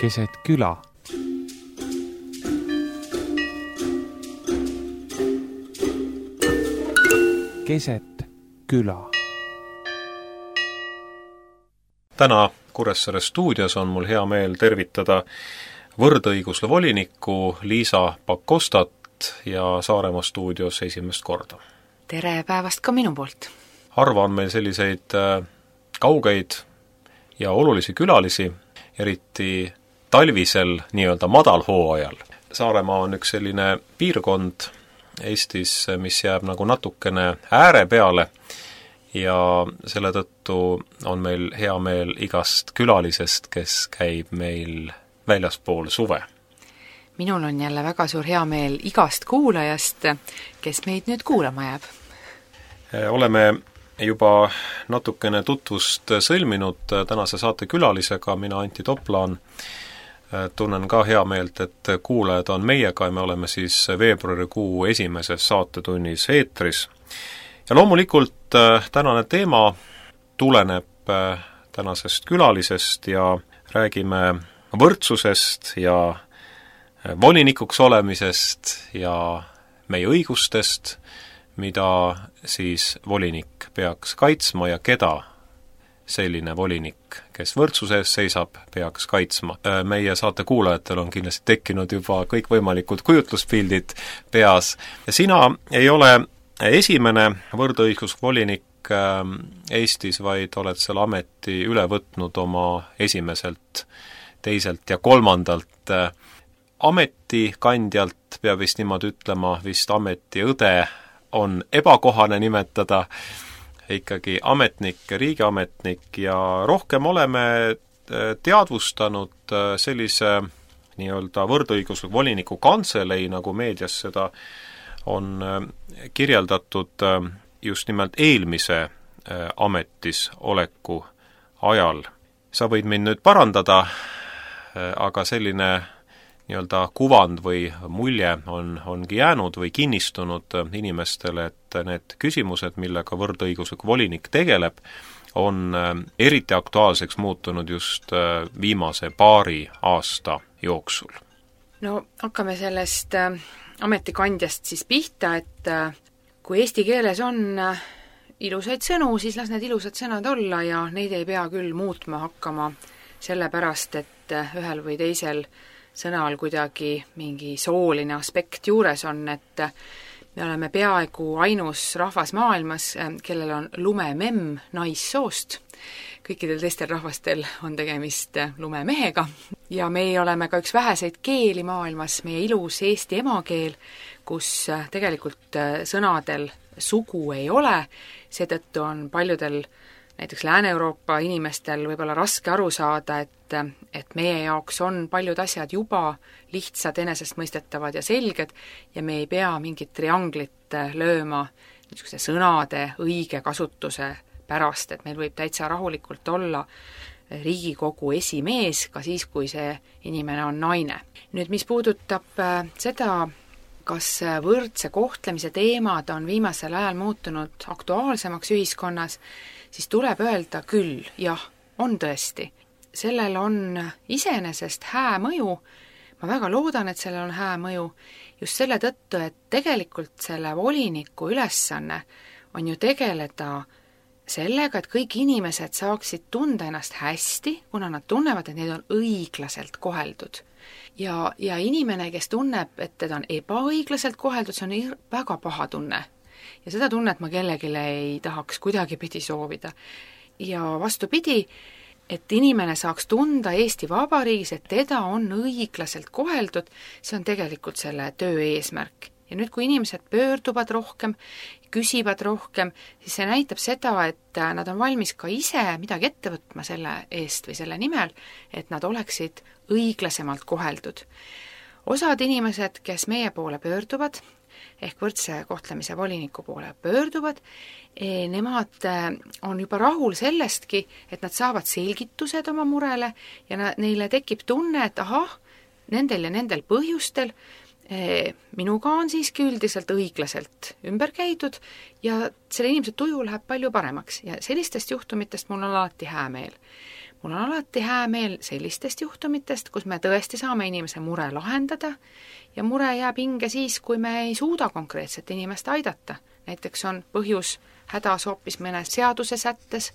keset küla. Keset küla. Täna Kuressaare stuudios on mul hea meel tervitada võrdõigusle volinikku Liisa Pakostat ja Saaremaa stuudios esimest korda. Tere päevast ka minu poolt! Harva on meil selliseid kaugeid ja olulisi külalisi, eriti talvisel nii-öelda madalhooajal. Saaremaa on üks selline piirkond Eestis, mis jääb nagu natukene ääre peale ja selle tõttu on meil hea meel igast külalisest, kes käib meil väljaspool suve. Minul on jälle väga suur hea meel igast kuulajast, kes meid nüüd kuulama jääb. Oleme juba natukene tutvust sõlminud tänase saate külalisega, mina Antti Toplaan. Tunnen ka hea meelt, et kuulajad on meiega ja me oleme siis veebruarikuu esimeses saatetunnis eetris. Ja loomulikult tänane teema tuleneb tänasest külalisest ja räägime võrdsusest ja volinikuks olemisest ja meie õigustest, mida siis volinik peaks kaitsma ja keda selline volinik, kes võrdsuse eest seisab, peaks kaitsma. Meie saate kuulajatel on kindlasti tekkinud juba kõikvõimalikud kujutluspildid peas. Ja sina ei ole esimene võrdõigusvolinik Eestis, vaid oled selle ameti üle võtnud oma esimeselt, teiselt ja kolmandalt ametikandjalt, peab vist niimoodi ütlema, vist ametiõde on ebakohane nimetada, ikkagi ametnik, riigiametnik ja rohkem oleme teadvustanud sellise nii-öelda võrdõigusliku voliniku kantselei, nagu meedias seda on kirjeldatud just nimelt eelmise ametis oleku ajal. Sa võid mind nüüd parandada, aga selline nii-öelda kuvand või mulje ongi jäänud või kinnistunud inimestele, et need küsimused, millega võrdõiguslik volinik tegeleb, on eriti aktuaalseks muutunud just viimase paari aasta jooksul. No hakkame sellest ametikandjast siis pihta, et kui eesti keeles on ilusaid sõnu, siis las need ilusad sõnad olla ja neid ei pea küll muutma hakkama sellepärast, et ühel või teisel sõnal kuidagi mingi sooline aspekt juures on, et me oleme peaaegu ainus rahvas maailmas, kellel on lumememm naissoost. Kõikidel teistel rahvastel on tegemist lumemehega ja meie oleme ka üks väheseid keeli maailmas, meie ilus eesti emakeel, kus tegelikult sõnadel sugu ei ole, seetõttu on paljudel näiteks Lääne-Euroopa inimestel võib-olla raske aru saada, et meie jaoks on paljud asjad juba lihtsad, enesestmõistetavad ja selged ja me ei pea mingit trianglit lööma niisuguse sõnade õige kasutuse pärast, et meil võib täitsa rahulikult olla Riigikogu esimees ka siis, kui see inimene on naine. Nüüd, mis puudutab seda, kas võrdse kohtlemise teemad on viimasel ajal muutunud aktuaalsemaks ühiskonnas, siis tuleb öelda küll, jah, on tõesti. Sellel on iseenesest hää mõju, ma väga loodan, et sellel on hää mõju, just selle tõttu, et tegelikult selle voliniku ülesanne on ju tegeleda sellega, et kõik inimesed saaksid tunda ennast hästi, kuna nad tunnevad, et neid on õiglaselt koheldud. Ja inimene, kes tunneb, et teda on ebaõiglaselt koheldud, see on väga paha tunne. Ja seda tunnet ma kellelegi ei tahaks kuidagipidi soovida. Ja vastupidi, et inimene saaks tunda Eesti Vabariigis, et teda on õiglaselt koheldud, see on tegelikult selle töö eesmärk. Ja nüüd, kui inimesed pöörduvad rohkem, küsivad rohkem, siis see näitab seda, et nad on valmis ka ise midagi ette võtma selle eest või selle nimel, et nad oleksid õiglasemalt koheldud. Osad inimesed, kes meie poole pöörduvad, ehk võrdse kohtlemise voliniku poole pöörduvad, nemad on juba rahul sellestki, et nad saavad selgitused oma murele ja neile tekib tunne, et ahah, nendel ja nendel põhjustel minuga on siiski üldiselt õiglaselt ümber käidud ja selle inimese tuju läheb palju paremaks ja sellistest juhtumitest mul on alati hää meel. mul on alati hää meel sellistest juhtumitest, kus me tõesti saame inimese mure lahendada ja mure jääb hinge siis, kui me ei suuda konkreetset inimest aidata. Näiteks on põhjus hädas hoopis mõne seaduse sättes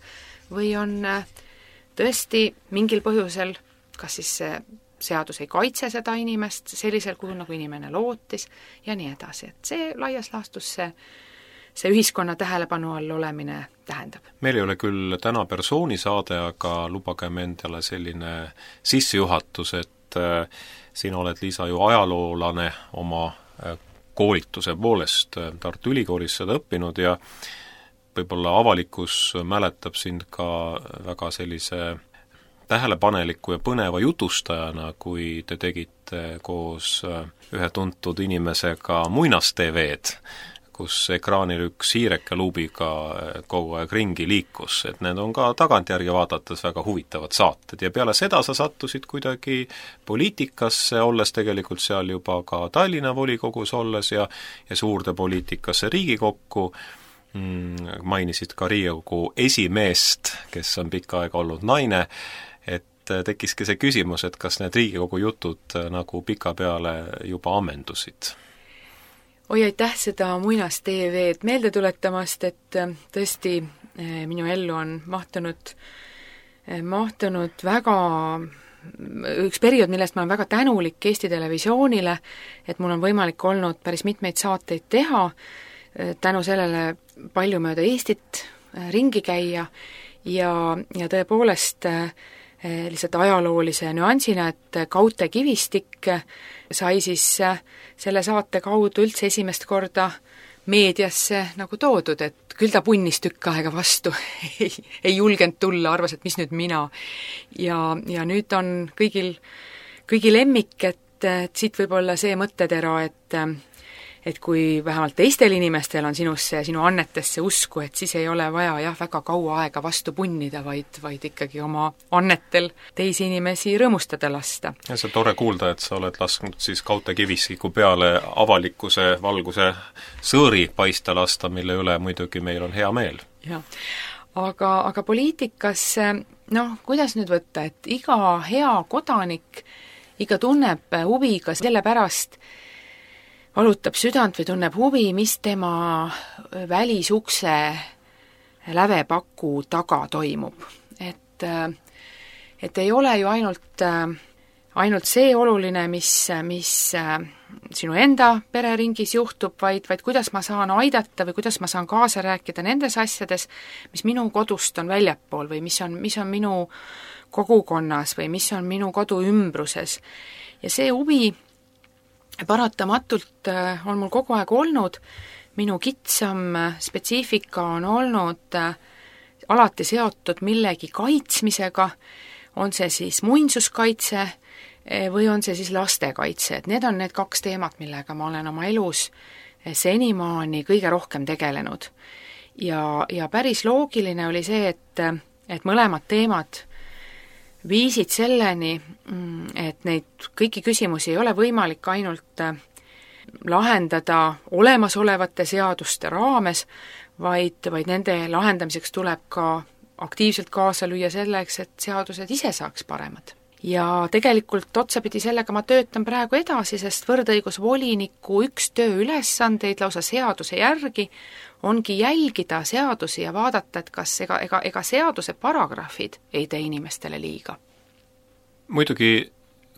või on tõesti mingil põhjusel, kas siis see seadus ei kaitse seda inimest sellisel kujul, nagu inimene lootis ja nii edasi. Et see laias laastus see ühiskonna tähelepanu all olemine tähendab. Meil ei ole küll täna persoonisaade, aga lubagem endale selline sissejuhatus, et sina oled, Liisa, ju ajaloolane oma koolituse poolest Tartu Ülikoolis seda õppinud ja võib-olla avalikkus mäletab sind ka väga sellise tähelepaneliku ja põneva jutustajana, kui te tegite koos ühe tuntud inimesega Muinas-TV'd, kus ekraanil üks hiireke luubiga kogu aeg ringi liikus, et need on ka tagantjärgi vaadates väga huvitavad saated ja peale seda sa sattusid kuidagi poliitikasse, olles tegelikult seal juba ka Tallinna volikogus olles ja suurde poliitikasse Riigikokku, mainisid ka Riigikogu esimeest, kes on pikka aega olnud naine, et tekkiski see küsimus, et kas need Riigikogu jutud nagu pikapeale juba ammendusid? Oi, aitäh seda Muinas-TV'd meelde tuletamast, et tõesti minu ellu on mahtunud väga üks periood, millest ma olen väga tänulik Eesti Televisioonile, et mul on võimalik olnud päris mitmeid saateid teha, tänu sellele palju mööda Eestit ringi käia ja tõepoolest lihtsalt ajaloolise nüansina, et Kaute Kivistik sai siis selle saate kaudu üldse esimest korda meediasse nagu toodud, et küll ta punnis tükk aega vastu, ei julgenud tulla, arvas, et mis nüüd mina. Ja nüüd on kõigi lemmik, et siit võib olla see mõttetera, et kui vähemalt teistel inimestel on sinusse ja sinu annetesse usku, et siis ei ole vaja väga kaua aega vastu punnida, vaid ikkagi oma annetel teisi inimesi rõõmustada lasta. Ja see on tore kuulda, et sa oled lasknud siis Kaute Kivistiku peale avalikkuse valguse sõõri paista lasta, mille üle muidugi meil on hea meel. Ja. Aga poliitikas, kuidas nüüd võtta, et iga hea kodanik, iga tunneb huvi ka selle pärast, valutab südant või tunneb huvi, mis tema välisukse lävepaku taga toimub. Et ei ole ju ainult see oluline, mis sinu enda pereringis juhtub, vaid kuidas ma saan aidata või kuidas ma saan kaasa rääkida nendes asjades, mis minu kodust on väljapool või mis on minu kogukonnas või mis on minu kodu ümbruses. Ja see huvi paratamatult on mul kogu aeg olnud, minu kitsam spetsiifika on olnud alati seotud millegi kaitsmisega, on see siis muinsuskaitse või on see siis lastekaitse, et need on need kaks teemat, millega ma olen oma elus senimaani kõige rohkem tegelenud. Ja päris loogiline oli see, et mõlemad teemad viisid selleni, et neid kõiki küsimusi ei ole võimalik ainult lahendada olemasolevate seaduste raames, vaid nende lahendamiseks tuleb ka aktiivselt kaasa lüüa selleks, et seadused ise saaks paremad. Ja tegelikult otsapidi sellega ma töötan praegu edasi, sest võrdõigusvoliniku üks tööülesandeid lausa seaduse järgi ongi jälgida seadusi ja vaadata, et kas ega seaduse paragrahvid ei tee inimestele liiga. Muidugi,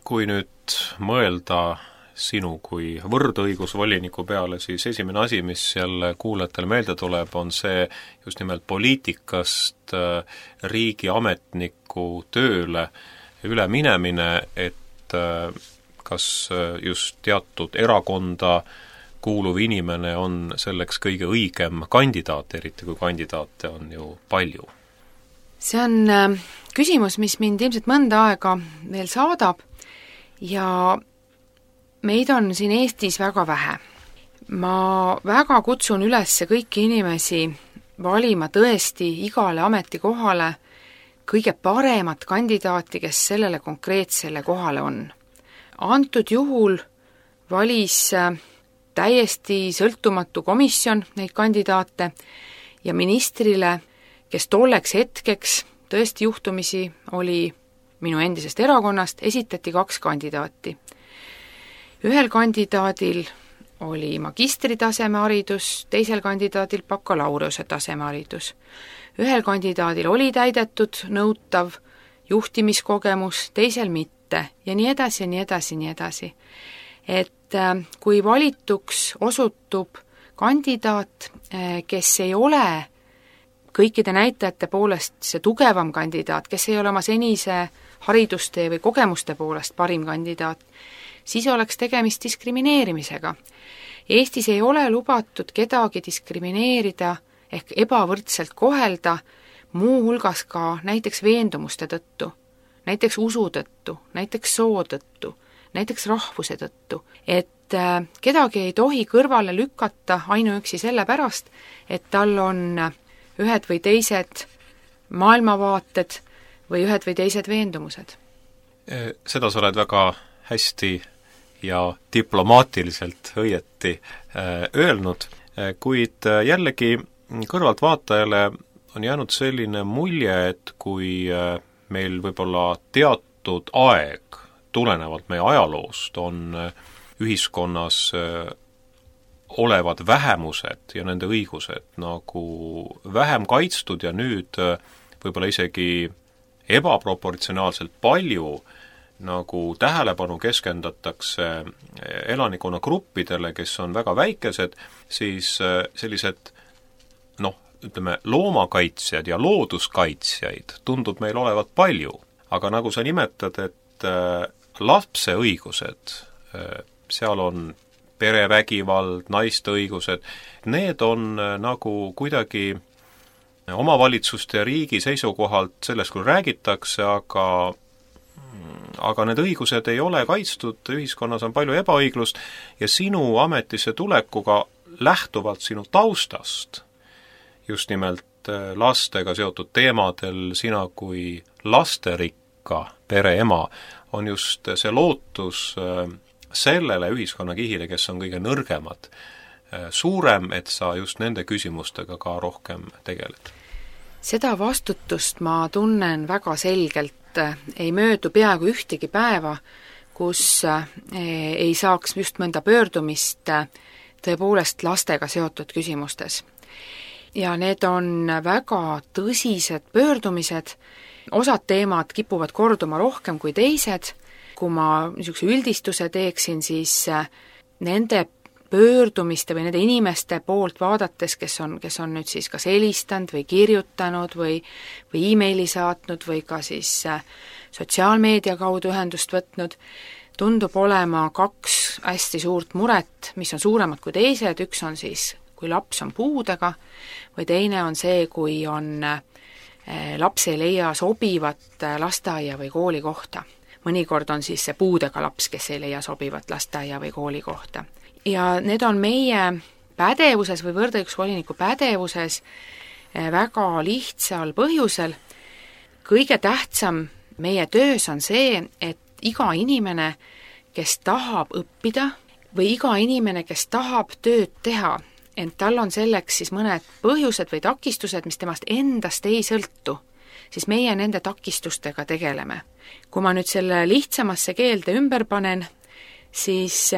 kui nüüd mõelda sinu kui võrdõigusvoliniku peale, siis esimene asi, mis jälle kuulajatele meelde tuleb, on see just nimelt poliitikast riigiametniku tööle üle minemine, et kas just teatud erakonda kuuluv inimene on selleks kõige õigem kandidaat, eriti kui kandidaate on ju palju. See on küsimus, mis mind ilmselt mõnda aega veel saadab ja meid on siin Eestis väga vähe. Ma väga kutsun üles kõiki inimesi valima tõesti igale ametikohale kõige paremat kandidaati, kes sellele konkreetsele kohale on. Antud juhul valis täiesti sõltumatu komisjon neid kandidaate ja ministrile, kes tolleks hetkeks tõesti juhtumisi oli minu endisest erakonnast, esitati 2 kandidaati. Ühel kandidaadil oli magistritaseme haridus, teisel kandidaadil bakalaureuse tasemeharidus. Ühel kandidaadil oli täidetud nõutav juhtimiskogemus, teisel mitte ja nii edasi ja nii edasi ja nii edasi. Et kui valituks osutub kandidaat, kes ei ole kõikide näitajate poolest see tugevam kandidaat, kes ei ole oma senise haridustee või kogemuste poolest parim kandidaat, siis oleks tegemist diskrimineerimisega. Eestis ei ole lubatud kedagi diskrimineerida ehk ebavõrdselt kohelda, muu hulgas ka näiteks veendumuste tõttu, näiteks usu tõttu, näiteks soo tõttu, näiteks rahvuse tõttu, et kedagi ei tohi kõrvale lükata ainuüksi sellepärast, et tal on ühed või teised maailmavaated või ühed või teised veendumused. Seda sa oled väga hästi ja diplomaatiliselt õieti öelnud, kuid jällegi kõrvaltvaatajale on jäänud selline mulje, et kui meil võib-olla teatud aeg tulenevalt meie ajaloost on ühiskonnas olevad vähemused ja nende õigused nagu vähem kaitstud ja nüüd võib-olla isegi ebaproportsionaalselt palju nagu tähelepanu keskendatakse elanikkonnagruppidele, kes on väga väikesed, siis sellised ütleme, loomakaitsjad ja looduskaitsjaid tundub meil olevat palju, aga nagu sa nimetad, et lapse õigused, seal on perevägivald, naiste õigused, need on nagu kuidagi omavalitsuste ja riigi seisukohalt sellest küll räägitakse, aga need õigused ei ole kaitstud, ühiskonnas on palju ebaõiglust ja sinu ametisse tulekuga lähtuvalt sinu taustast, just nimelt lastega seotud teemadel, sina kui lasterikka pere ema, on just see lootus sellele ühiskonnakihile, kes on kõige nõrgemad, suurem, et sa just nende küsimustega ka rohkem tegeled? Seda vastutust ma tunnen väga selgelt, ei möödu peaaegu ühtegi päeva, kus ei saaks just mõnda pöördumist tõepoolest lastega seotud küsimustes. Ja need on väga tõsised pöördumised, osad teemad kipuvad korduma rohkem kui teised. Kui ma niisuguse üldistuse teeksin, siis nende pöördumiste või nende inimeste poolt vaadates, kes on nüüd siis kas helistanud või kirjutanud või e-maili saatnud või ka siis sotsiaalmeedia kaudu ühendust võtnud, tundub olema 2 hästi suurt muret, mis on suuremad kui teised. Üks on siis, kui laps on puudega, või teine on see, kui laps ei leia sobivat lasteaia või kooli kohta. Mõnikord on siis see puudega laps, kes ei leia sobivat lasteaia või kooli kohta. Ja need on meie pädevuses või võrdõigusvoliniku pädevuses väga lihtsal põhjusel. Kõige tähtsam meie töös on see, et iga inimene, kes tahab õppida või iga inimene, kes tahab tööd teha, ent tal on selleks siis mõned põhjused või takistused, mis temast endast ei sõltu, siis meie nende takistustega tegeleme. Kui ma nüüd selle lihtsamasse keelde ümber panen, siis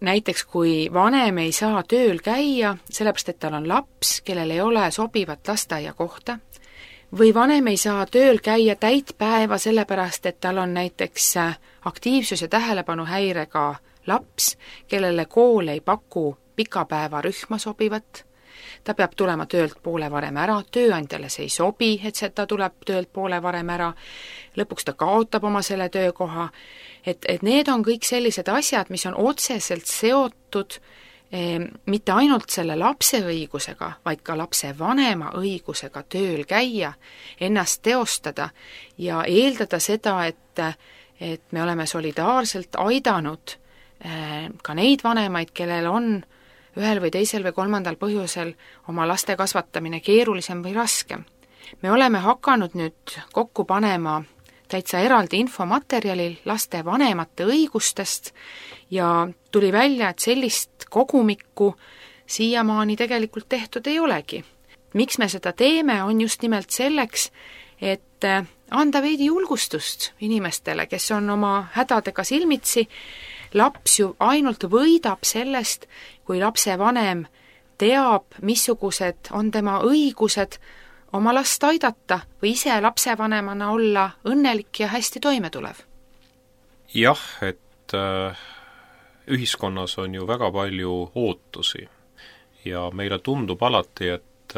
näiteks kui vanem ei saa tööl käia, sellepärast et tal on laps, kellel ei ole sobivat lasteaia kohta, või vanem ei saa tööl käia täit päeva sellepärast, et tal on näiteks aktiivsus- ja tähelepanuhäirega laps, kellele kool ei paku pikapäevarühma sobivat, ta peab tulema töölt poole varem ära, tööandjale see ei sobi, et ta tuleb töölt poole varem ära, lõpuks ta kaotab oma selle töökoha, et need on kõik sellised asjad, mis on otseselt seotud mitte ainult selle lapse õigusega, vaid ka lapse vanema õigusega tööl käia, ennast teostada ja eeldada seda, et me oleme solidaarselt aidanud ka neid vanemaid, kellel on ühel või teisel või kolmandal põhjusel oma laste kasvatamine keerulisem või raskem. Me oleme hakanud nüüd kokku panema täitsa eraldi infomaterjalil laste vanemate õigustest ja tuli välja, et sellist kogumikku siiamaani tegelikult tehtud ei olegi. Miks me seda teeme, on just nimelt selleks, et et anda veidi julgustust inimestele, kes on oma hädadega silmitsi. Laps ju ainult võidab sellest, kui lapsevanem teab, missugused on tema õigused oma last aidata või ise lapsevanemana olla õnnelik ja hästi toimetulev. Jah, et ühiskonnas on ju väga palju ootusi ja meile tundub alati, et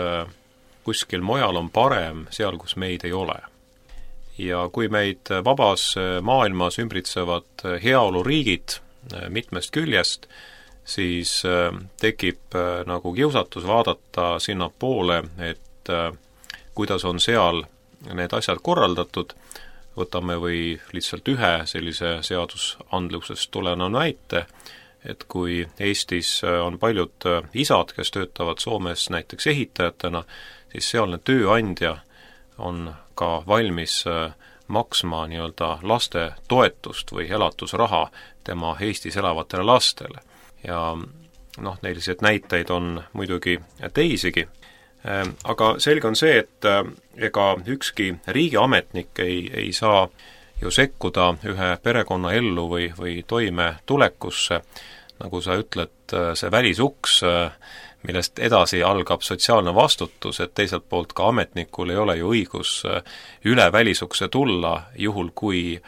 kuskil mujal on parem seal, kus meid ei ole. Ja kui meid vabas maailmas ümbritsevad heaoluriigid mitmest küljest, siis tekib nagu kiusatus vaadata sinna poole, et kuidas on seal need asjad korraldatud. Võtame või lihtsalt ühe sellise seadusandlusest tuleneva näite, et kui Eestis on paljud isad, kes töötavad Soomes näiteks ehitajatena, siis sealne tööandja on ka valmis maksma nii-öelda laste toetust või elatusraha tema Eestis elavatele lastele. Ja selliseid näiteid on muidugi teisigi. Aga selge on see, et ega ükski riigiametnik ei saa ju sekkuda ühe perekonna ellu või toime tulekusse, nagu sa ütled, see välisuks, millest edasi algab sotsiaalne vastutus, et teiselt poolt ka ametnikul ei ole ju õigus üle välisukse tulla, juhul kui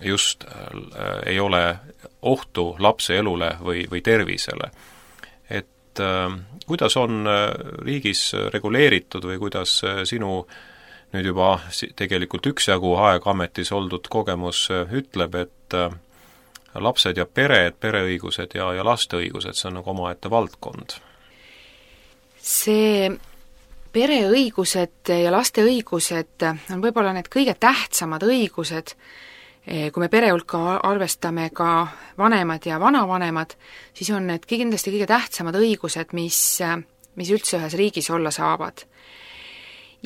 just ei ole ohtu lapse elule või tervisele. Et kuidas on riigis reguleeritud või kuidas sinu nüüd juba tegelikult üksjagu aega ametis oldud kogemus ütleb, et lapsed ja pered, pereõigused ja laste õigused, see on nagu omaette valdkond? See pereõigused ja laste õigused on võib-olla need kõige tähtsamad õigused, kui me pere hulka arvestame ka vanemad ja vanavanemad, siis on need kindlasti kõige tähtsamad õigused, mis üldse ühes riigis olla saavad.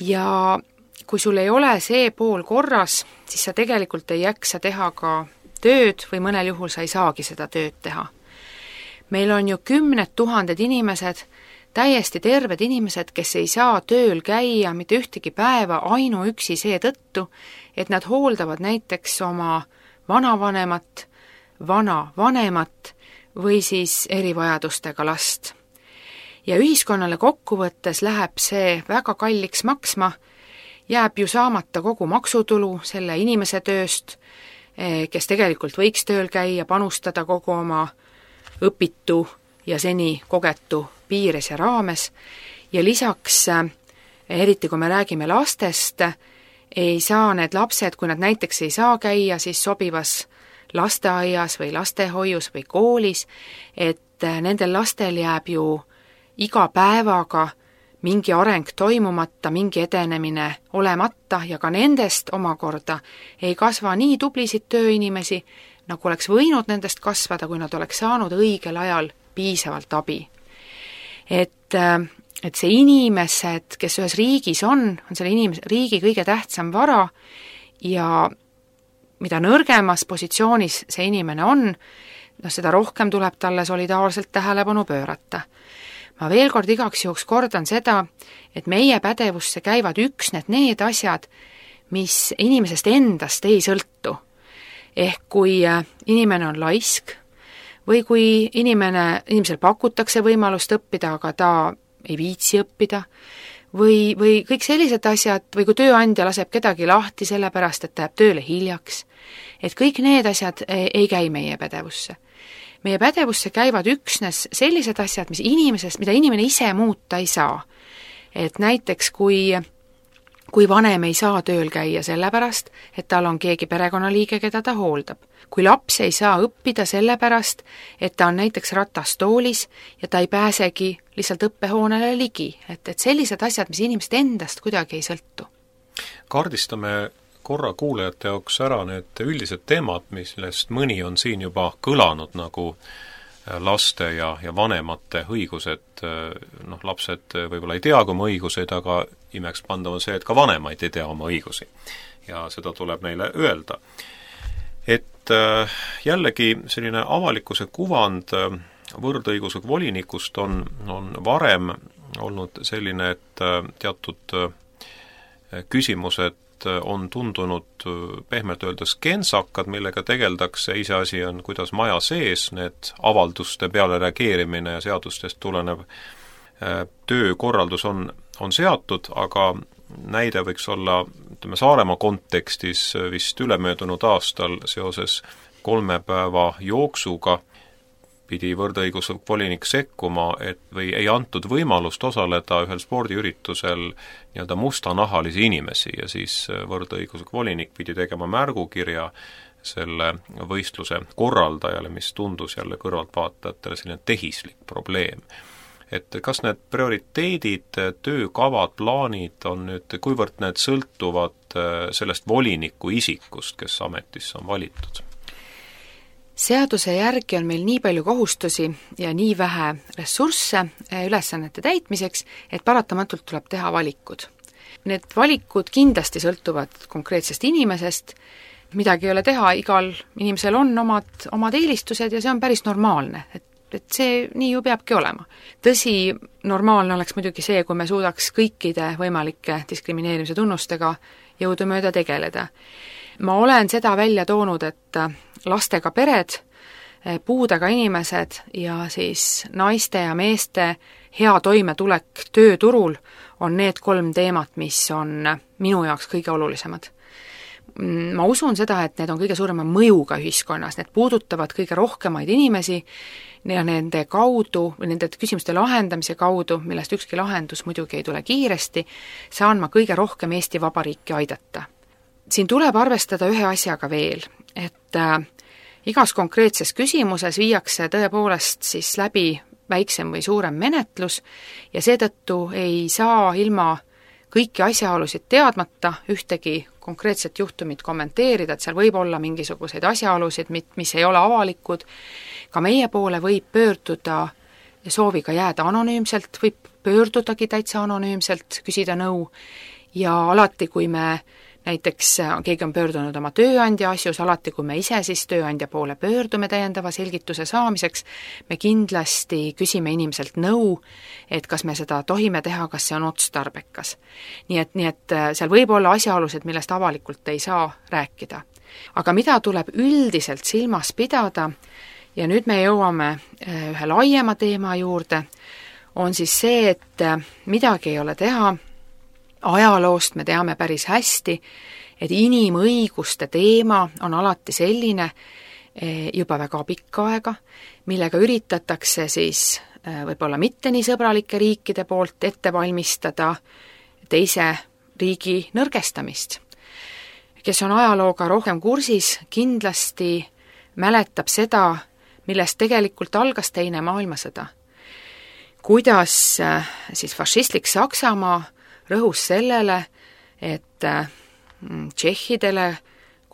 Ja kui sul ei ole see pool korras, siis sa tegelikult ei jaksa teha ka tööd või mõnel juhul sa ei saagi seda tööd teha. Meil on ju 10 000 inimesed, täiesti terved inimesed, kes ei saa tööl käia mitte ühtegi päeva ainuüksi seetõttu, et nad hooldavad näiteks oma vanavanemat, vanavanemat või siis erivajadustega last. Ja ühiskonnale kokkuvõttes läheb see väga kalliks maksma, jääb ju saamata kogu maksutulu selle inimese tööst, kes tegelikult võiks tööl käia, panustada kogu oma õpitu ja seni kogetu piires ja raames. Ja lisaks, eriti kui me räägime lastest, ei saa need lapsed, kui nad näiteks ei saa käia, siis sobivas lasteaias või lastehoius või koolis, et nendel lastel jääb ju iga päevaga mingi areng toimumata, mingi edenemine olemata ja ka nendest omakorda ei kasva nii tublisid tööinimesi, nagu oleks võinud nendest kasvada, kui nad oleks saanud õigel ajal piisavalt abi. Et see inimesed, kes ühes riigis on selle riigi kõige tähtsam vara ja mida nõrgemas positsioonis see inimene on, seda rohkem tuleb talle solidaarselt tähelepanu pöörata. Ma veel kord igaks juhuks kordan seda, et meie pädevusse käivad üksnes need asjad, mis inimesest endast ei sõltu. Ehk kui inimene on laisk või kui inimesel pakutakse võimalust õppida, aga ta ei viitsi õppida, või kõik sellised asjad, või kui tööandja laseb kedagi lahti sellepärast, et ta jääb tööle hiljaks, et kõik need asjad ei käi meie pädevusse. Meie pädevusse käivad üksnes sellised asjad, mida inimene ise muuta ei saa. Et näiteks kui vanem ei saa tööl käia sellepärast, et tal on keegi perekonnaliige, keda ta hooldab. Kui laps ei saa õppida sellepärast, et ta on näiteks ratastoolis ja ta ei pääsegi lihtsalt õppehoonele ligi. Et sellised asjad, mis inimest endast kuidagi ei sõltu. Kaardistame korra kuulajate jaoks ära need üldised teemad, millest mõni on siin juba kõlanud, nagu laste ja vanemate õigused. Lapsed võib-olla ei tea oma õiguseid, aga imeks pandav on see, et ka vanemaid ei tea oma õigusi. Ja seda tuleb neile öelda. Et jällegi selline avalikkuse kuvand võrdõigusega volinikust on varem olnud selline, et teatud küsimused on tundunud pehmelt öeldes kentsakad, millega tegeldakse, iseasi on, kuidas maja sees need avalduste peale reageerimine ja seadustest tulenev töökorraldus on seatud, aga näide võiks olla, ütleme, Saaremaa kontekstis vist ülemöödunud aastal seoses 3 päeva jooksuga pidi võrdõiguslik volinik sekkuma, või ei antud võimalust osaleda ühel spordiüritusel nii-öelda mustanahalisi inimesi ja siis võrdõiguslik volinik pidi tegema märgukirja selle võistluse korraldajale, mis tundus jälle kõrvaltvaatajatele selline tehislik probleem. Et kas need prioriteedid, töökavad, plaanid on nüüd, kuivõrd need sõltuvad sellest voliniku isikust, kes ametisse on valitud? Seaduse järgi on meil nii palju kohustusi ja nii vähe ressursse ülesannete täitmiseks, et paratamatult tuleb teha valikud. Need valikud kindlasti sõltuvad konkreetsest inimesest, midagi ei ole teha, igal inimesel on omad eelistused ja see on päris normaalne, et see nii ju peabki olema. Tõsi, normaalne oleks muidugi see, kui me suudaks kõikide võimalike diskrimineerimise tunnustega jõudumööda tegeleda. Ma olen seda välja toonud, et lastega pered, puudega inimesed ja siis naiste ja meeste hea toimetulek tööturul on need 3 teemat, mis on minu jaoks kõige olulisemad. Ma usun seda, et need on kõige suurema mõjuga ühiskonnas, need puudutavad kõige rohkemaid inimesi ja nende kaudu, või nende küsimuste lahendamise kaudu, millest ükski lahendus muidugi ei tule kiiresti, saan ma kõige rohkem Eesti Vabariiki aidata. Siin tuleb arvestada ühe asjaga veel, et igas konkreetses küsimuses viiakse tõepoolest siis läbi väiksem või suurem menetlus ja seetõttu ei saa ilma kõiki asjaolusid teadmata ühtegi konkreetset juhtumit kommenteerida, et seal võib olla mingisuguseid asjaolusid, mis ei ole avalikud, ka meie poole võib pöörduda sooviga jääda anonüümselt, võib pöördudagi täitsa anonüümselt, küsida nõu ja alati, kui me näiteks keegi on pöördunud oma tööandja asjus, alati kui me ise siis tööandja poole pöördume täiendava selgituse saamiseks, me kindlasti küsime inimeselt nõu, et kas me seda tohime teha, kas see on otstarbekas. Nii et seal võib olla asjaolusid, millest avalikult ei saa rääkida. Aga mida tuleb üldiselt silmas pidada, ja nüüd me jõuame ühe laiema teema juurde, on siis see, et midagi ei ole teha, ajaloost me teame päris hästi, et inimõiguste teema on alati selline juba väga pikka aega, millega üritatakse siis võib-olla mitte nii sõbralike riikide poolt ette valmistada teise riigi nõrgestamist. Kes on ajalooga rohkem kursis, kindlasti mäletab seda, millest tegelikult algas Teine maailmasõda. Kuidas siis fašistlik Saksamaa rõhus sellele, et tšehhidele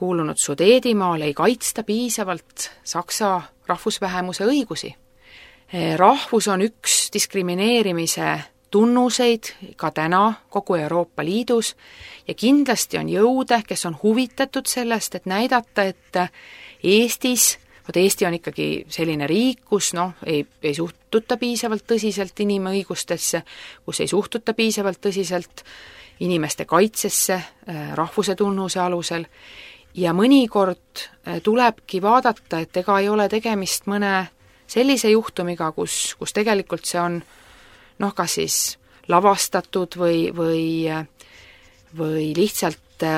kuulunud Sudeedimaal ei kaitsta piisavalt saksa rahvusvähemuse õigusi. Rahvus on üks diskrimineerimise tunnuseid ka täna kogu Euroopa Liidus ja kindlasti on jõude, kes on huvitatud sellest, et näidata, et Eestis, Eesti on ikkagi selline riik, kus ei suhtuta piisavalt tõsiselt inimõigustesse, kus ei suhtuta piisavalt tõsiselt inimeste kaitsesse rahvuse tunnuse alusel ja mõnikord tulebki vaadata, et ega ei ole tegemist mõne sellise juhtumiga, kus tegelikult see on kas siis lavastatud või lihtsalt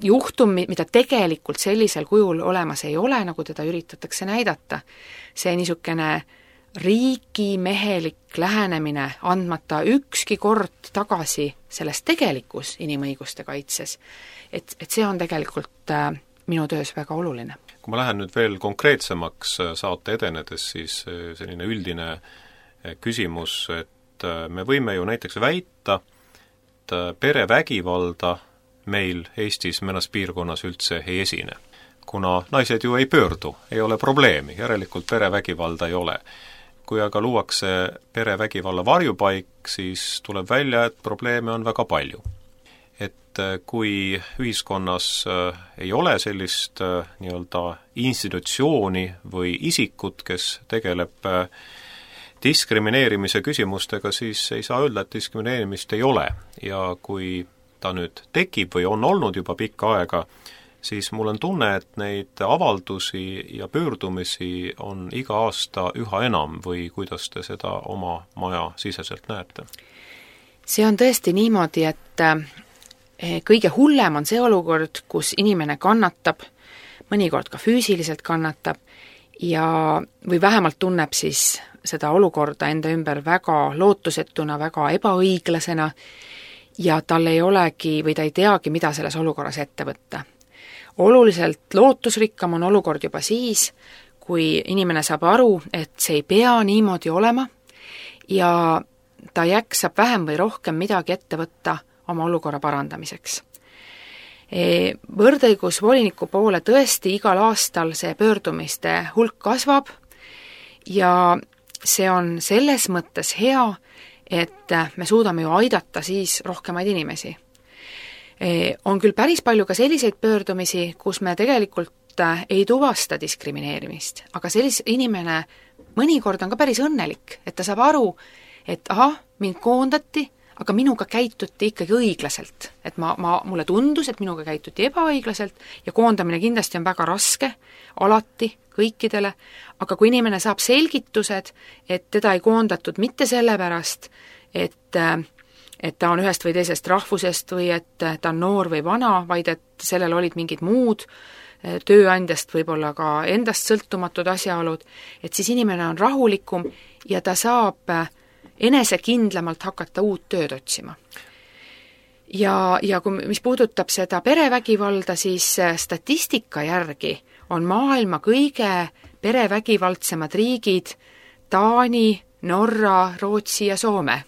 juhtum, mida tegelikult sellisel kujul olemas ei ole, nagu teda üritatakse näidata. See niisugune riigimehelik lähenemine, andmata ükski kord tagasi sellest tegelikus inimõiguste kaitses, et see on tegelikult minu töös väga oluline. Kui ma lähen nüüd veel konkreetsemaks saate edenedes, siis selline üldine küsimus, et me võime ju näiteks väita, et perevägivalda meil Eestis mõnes piirkonnas üldse ei esine. Kuna naised ju ei pöördu, ei ole probleemi, järelikult perevägivalda ei ole. Kui aga luuakse perevägivalla varjupaik, siis tuleb välja, et probleeme on väga palju. Et kui ühiskonnas ei ole sellist nii-öelda institutsiooni või isikut, kes tegeleb diskrimineerimise küsimustega, siis ei saa öelda, et diskrimineerimist ei ole. Ja kui ta nüüd tekib või on olnud juba pikka aega, siis mul on tunne, et neid avaldusi ja pöördumisi on iga aasta üha enam või kuidas te seda oma maja siseselt näete? See on tõesti niimoodi, et kõige hullem on see olukord, kus inimene kannatab, mõnikord ka füüsiliselt kannatab või vähemalt tunneb siis seda olukorda enda ümber väga lootusetuna, väga ebaõiglasena ja tal ei olegi või ta ei teagi, mida selles olukorras ette võtta. Oluliselt lootusrikkam on olukord juba siis, kui inimene saab aru, et see ei pea niimoodi olema ja ta jaksab vähem või rohkem midagi ette võtta oma olukorra parandamiseks. Võrdõigusvoliniku poole tõesti igal aastal see pöördumiste hulk kasvab ja see on selles mõttes hea, et me suudame ju aidata siis rohkemaid inimesi. On küll päris palju ka selliseid pöördumisi, kus me tegelikult ei tuvasta diskrimineerimist, aga inimene mõnikord on ka päris õnnelik, et ta saab aru, et mind koondati, aga minuga käituti ikkagi õiglaselt. Et mulle tundus, et minuga käituti ebaõiglaselt ja koondamine kindlasti on väga raske, alati, kõikidele, aga kui inimene saab selgitused, et teda ei koondatud mitte sellepärast, et ta on ühest või teisest rahvusest või et ta on noor või vana, vaid et sellel olid mingid muud tööandjast võib-olla ka endast sõltumatud asjaolud, et siis inimene on rahulikum ja ta saab enesekindlamalt hakata uut tööd otsima. Ja mis puudutab seda perevägivalda, siis statistika järgi on maailma kõige perevägivaldsemad riigid Taani, Norra, Rootsi ja Soome.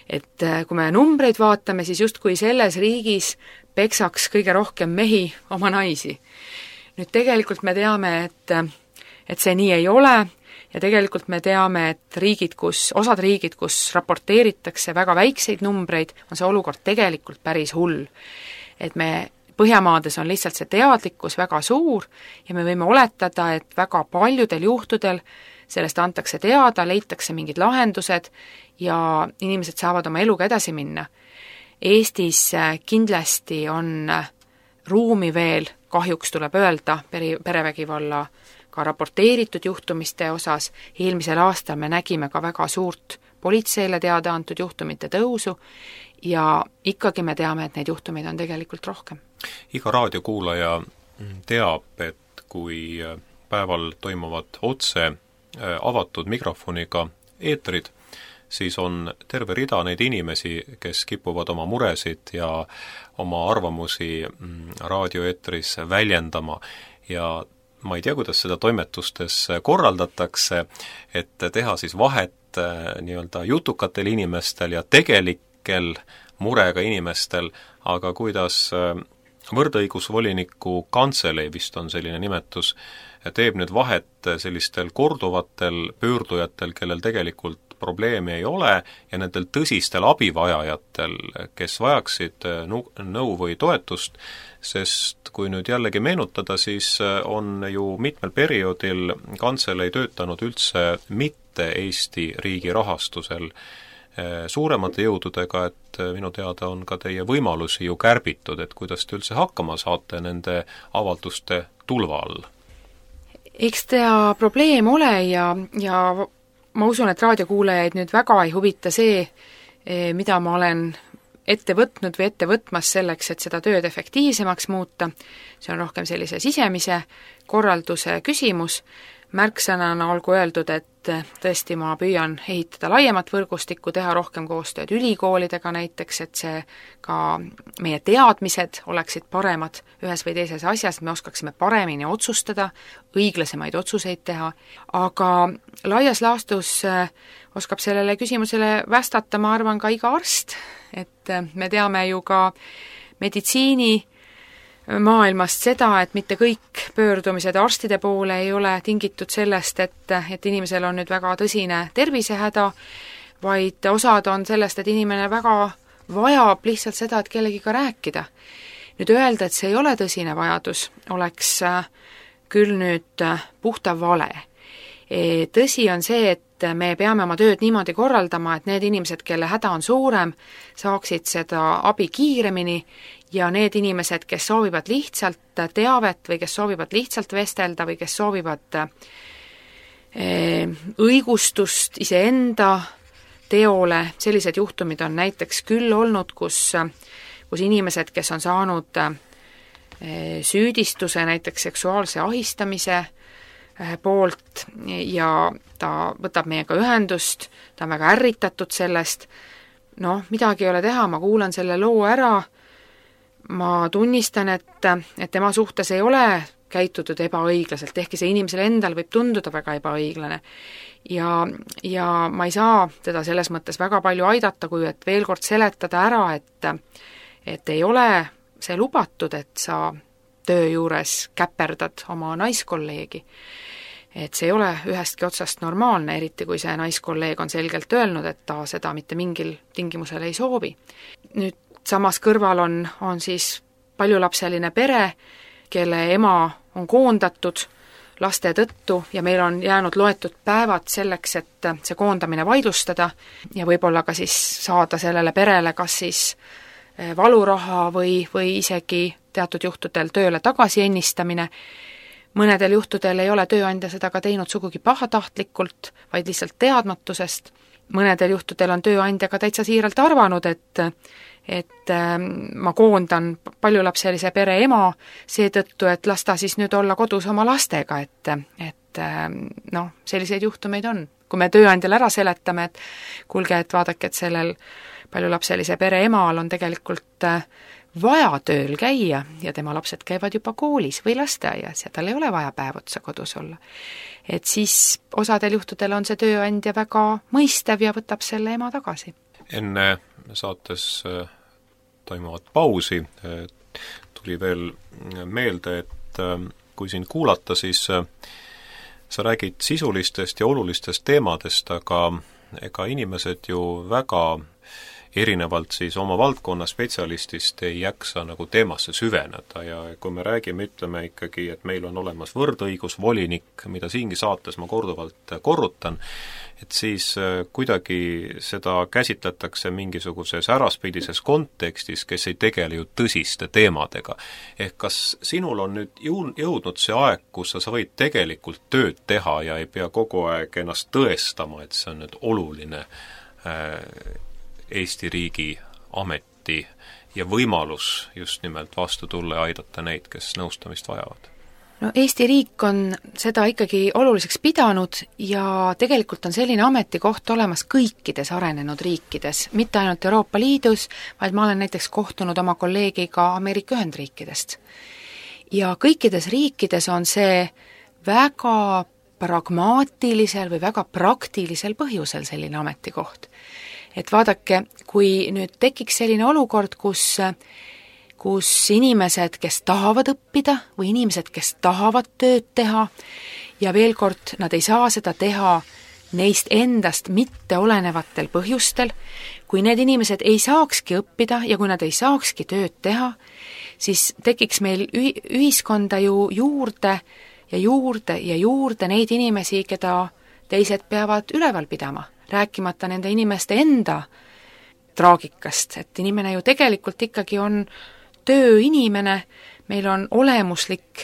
Et kui me numbreid vaatame, siis justkui selles riigis peksaks kõige rohkem mehi oma naisi. Nüüd tegelikult me teame, et see nii ei ole ja tegelikult me teame, et osad riigid, kus raporteeritakse väga väikseid numbreid, on see olukord tegelikult päris hull. Et Põhjamaades on lihtsalt see teadlikkus väga suur ja me võime oletada, et väga paljudel juhtudel sellest antakse teada, leitakse mingid lahendused ja inimesed saavad oma eluga edasi minna. Eestis kindlasti on ruumi veel, kahjuks tuleb öelda, perevägivalla ka raporteeritud juhtumiste osas. Eelmisel aastal me nägime ka väga suurt politseile teada antud juhtumite tõusu ja ikkagi me teame, et neid juhtumeid on tegelikult rohkem. Iga raadiokuulaja teab, et kui päeval toimuvad otse avatud mikrofoniga eetrid, siis on terve rida neid inimesi, kes kipuvad oma muresid ja oma arvamusi raadioeetris väljendama ja ma ei tea, kuidas seda toimetustes korraldatakse, et teha siis vahet nii-öelda jutukatel inimestel ja tegelikel murega inimestel, aga kuidas võrdõigusvoliniku kantselei, vist on selline nimetus, teeb nüüd vahet sellistel korduvatel pöördujatel, kellel tegelikult probleemi ei ole, ja nendel tõsistel abivajajatel, kes vajaksid nõu või toetust, sest kui nüüd jällegi meenutada, siis on ju mitmel perioodil kantselei töötanud üldse mitte Eesti riigi rahastusel suuremate jõududega, et minu teada on ka teie võimalusi ju kärbitud, et kuidas te üldse hakkama saate nende avalduste tulva all? Eks ta probleem ole ja ma usun, et raadiokuulajaid nüüd väga ei huvita see, mida ma olen ette võtnud või ette võtmas selleks, et seda tööd efektiivsemaks muuta. See on rohkem sellise sisemise korralduse küsimus. Märksõnana olgu öeldud, et tõesti ma püüan ehitada laiemat võrgustikku, teha rohkem koostööd ülikoolidega näiteks, et see ka meie teadmised oleksid paremad ühes või teises asjas, et me oskaksime paremini otsustada, õiglasemaid otsuseid teha, aga laias laastus oskab sellele küsimusele vastata, ma arvan, ka iga arst, et me teame ju ka meditsiini maailmast seda, et mitte kõik pöördumised arstide poole ei ole tingitud sellest, et inimesel on nüüd väga tõsine tervisehäda, vaid osad on sellest, et inimene väga vajab lihtsalt seda, et kellegiga rääkida. Nüüd öelda, et see ei ole tõsine vajadus, oleks küll nüüd puhta vale. Tõsi on see, et et me peame oma tööd niimoodi korraldama, et need inimesed, kelle häda on suurem, saaksid seda abi kiiremini ja need inimesed, kes soovivad lihtsalt teavet või kes soovivad lihtsalt vestelda või kes soovivad õigustust iseenda teole, sellised juhtumid on näiteks küll olnud, kus inimesed, kes on saanud süüdistuse näiteks seksuaalse ahistamise poolt ja ta võtab meiega ühendust, ta on väga ärritatud sellest, midagi ei ole teha, ma kuulan selle loo ära, ma tunnistan, et tema suhtes ei ole käitutud ebaõiglaselt, ehkki see inimesele endal võib tunduda väga ebaõiglane. Ja ma ei saa teda selles mõttes väga palju aidata, kui et veel kord seletada ära, et ei ole see lubatud, et sa töö juures käperdad oma naiskolleegi. Et see ei ole ühestki otsast normaalne, eriti kui see naiskolleeg on selgelt öelnud, et ta seda mitte mingil tingimusel ei soovi. Nüüd samas kõrval on siis paljulapseline pere, kelle ema on koondatud laste tõttu ja meil on jäänud loetud päevad selleks, et see koondamine vaidlustada ja võib-olla ka siis saada sellele perele kas siis valuraha või isegi teatud juhtudel tööle tagasi ennistamine. Mõnedel juhtudel ei ole tööandja seda ka teinud sugugi pahatahtlikult, vaid lihtsalt teadmatusest. Mõnedel juhtudel on tööandja ka täitsa siiralt arvanud, et ma koondan paljulapselise pere ema seetõttu, et las ta siis nüüd olla kodus oma lastega, et selliseid juhtumeid on. Kui me tööandjale ära seletame, et kuulge, et vaadake, et sellel paljulapselise pere emal on tegelikult vaja tööl käia ja tema lapsed käivad juba koolis või lasteaias ja tal ei ole vaja päev otsa kodus olla. Et siis osadel juhtudel on see tööandja väga mõistev ja võtab selle ema tagasi. Enne saates toimuvat pausi tuli veel meelde, et kui sind kuulata, siis sa räägid sisulistest ja olulistest teemadest, aga ega inimesed ju väga erinevalt siis oma valdkonna spetsialistist ei jaksa nagu teemasse süveneda ja kui me räägime, ütleme ikkagi, et meil on olemas võrdõigusvolinik, mida siingi saates ma korduvalt korrutan, et siis kuidagi seda käsitletakse mingisuguses äraspidises kontekstis, kes ei tegele ju tõsiste teemadega. Ehk kas sinul on nüüd jõudnud see aeg, kus sa võid tegelikult tööd teha ja ei pea kogu aeg ennast tõestama, et see on nüüd oluline Eesti riigi ameti ja võimalus just nimelt vastu tulla ja aidata neid, kes nõustamist vajavad? Eesti riik on seda ikkagi oluliseks pidanud ja tegelikult on selline ametikoht olemas kõikides arenenud riikides, mitte ainult Euroopa Liidus, vaid ma olen näiteks kohtunud oma kolleegiga Ameerika Ühendriikidest. Ja kõikides riikides on see väga pragmaatilisel või väga praktilisel põhjusel selline ametikoht. Et vaadake, kui nüüd tekiks selline olukord, kus inimesed, kes tahavad õppida või inimesed, kes tahavad tööd teha ja veel kord, nad ei saa seda teha neist endast mitte olenevatel põhjustel, kui need inimesed ei saakski õppida ja kui nad ei saakski tööd teha, siis tekiks meil ühiskonda ju juurde ja juurde ja juurde neid inimesi, keda teised peavad üleval pidama, rääkimata nende inimeste enda traagikast, et inimene ju tegelikult ikkagi on tööinimene, meil on olemuslik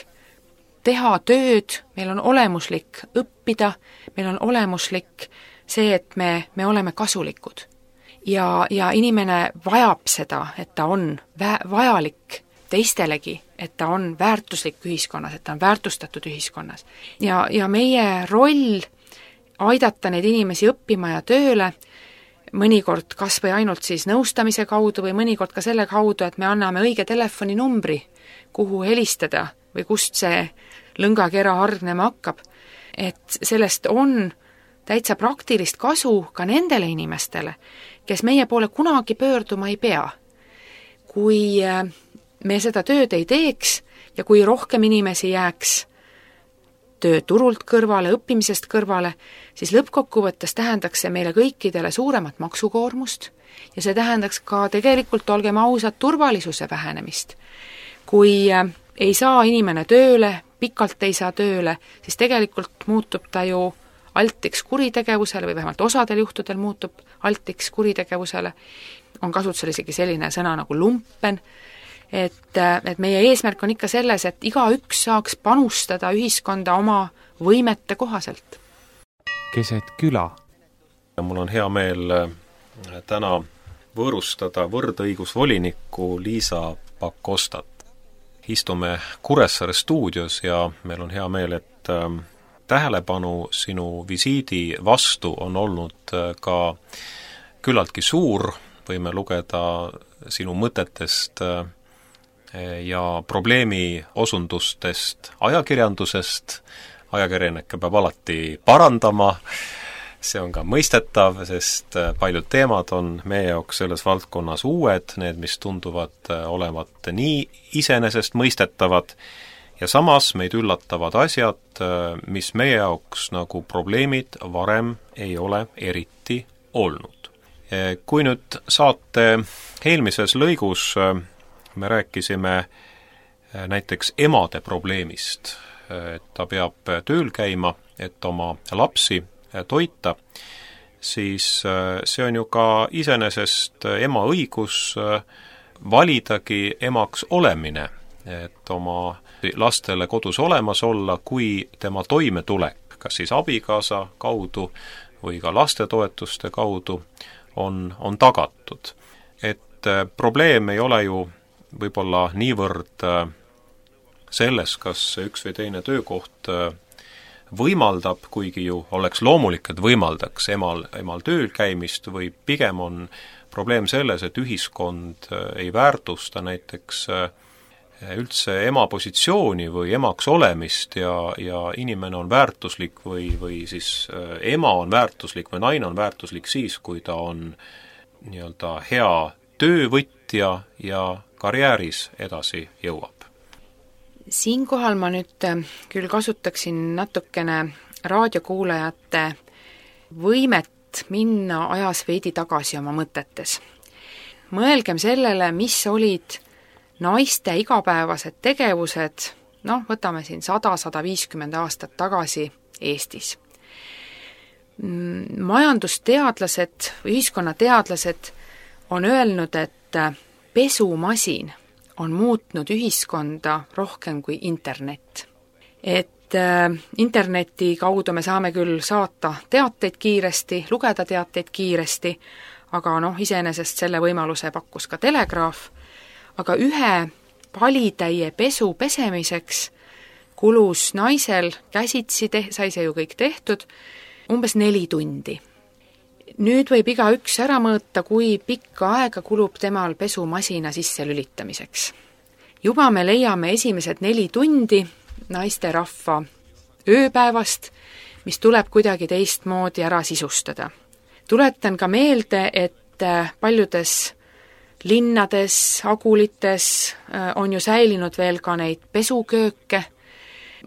teha tööd, meil on olemuslik õppida, meil on olemuslik see, et me oleme kasulikud. Ja inimene vajab seda, et ta on vajalik teistelegi, et ta on väärtuslik ühiskonnas, et ta on väärtustatud ühiskonnas. Ja meie roll aidata neid inimesi õppima ja tööle, mõnikord kas või ainult siis nõustamise kaudu või mõnikord ka selle kaudu, et me anname õige telefoninumbri, kuhu helistada või kust see lõngakera hargnema hakkab. Et sellest on täitsa praktilist kasu ka nendele inimestele, kes meie poole kunagi pöörduma ei pea. Kui me seda tööd ei teeks ja kui rohkem inimesi jääks tööturult kõrvale, õppimisest kõrvale, siis lõppkokkuvõttes tähendaks see meile kõikidele suuremat maksukoormust ja see tähendaks ka tegelikult, olgem ausad, turvalisuse vähenemist. Kui ei saa inimene tööle, pikalt ei saa tööle, siis tegelikult muutub ta ju altiks kuritegevusele või vähemalt osadel juhtudel muutub altiks kuritegevusele, on kasutusel isegi selline sõna nagu lumpen, et meie eesmärk on ikka selles, et igaüks saaks panustada ühiskonda oma võimete kohaselt. Keset küla. Mul on hea meel täna võõrustada võrdõigusvolinikku Liisa Pakostat. Istume Kuressaare stuudios ja meil on hea meel, et tähelepanu sinu visiidi vastu on olnud ka küllaltki suur, võime lugeda sinu mõtetest ja probleemi osundustest ajakirjandusest. Ajakirjanikke peab alati parandama, see on ka mõistetav, sest paljud teemad on meie jaoks selles valdkonnas uued, need, mis tunduvad olevat nii iseenesest mõistetavad, ja samas meid üllatavad asjad, mis meie jaoks nagu probleemid varem ei ole eriti olnud. Kui nüüd saate eelmises lõigus me rääkisime näiteks emade probleemist, et ta peab tööl käima, et oma lapsi toita, siis see on ju ka iseenesest ema õigus validagi emaks olemine, et oma lastele kodus olemas olla, kui tema toimetulek, kas siis abikaasa kaudu või ka lastetoetuste kaudu on tagatud. Et probleem ei ole ju võib-olla niivõrd selles, kas üks või teine töökoht võimaldab, kuigi ju oleks loomulik, et võimaldaks emal tööl käimist, või pigem on probleem selles, et ühiskond ei väärtusta näiteks üldse ema positsiooni või emaks olemist ja inimene on väärtuslik või siis ema on väärtuslik või naine on väärtuslik siis, kui ta on nii-öelda hea töövõtja ja karjääris edasi jõuab. Siinkohal ma nüüd küll kasutaksin natukene raadiokuulajate võimet minna ajas veidi tagasi oma mõtetes. Mõelgem sellele, mis olid naiste igapäevased tegevused, võtame siin 100-150 aastat tagasi Eestis. Majandusteadlased või ühiskonnateadlased on öelnud, et pesumasin on muutnud ühiskonda rohkem kui internet. Et interneti kaudu me saame küll saata teateid kiiresti, lugeda teateid kiiresti, aga iseenesest selle võimaluse pakkus ka telegraaf, aga ühe palitäie pesu pesemiseks kulus naisel käsitsi, sai see ju kõik tehtud, umbes 4 tundi. Nüüd võib igaüks ära mõõta, kui pikka aega kulub temal pesumasina sisse lülitamiseks. Juba me leiame esimesed 4 tundi naisterahva ööpäevast, mis tuleb kuidagi teistmoodi ära sisustada. Tuletan ka meelde, et paljudes linnades, agulites on ju säilinud veel ka neid pesukööke.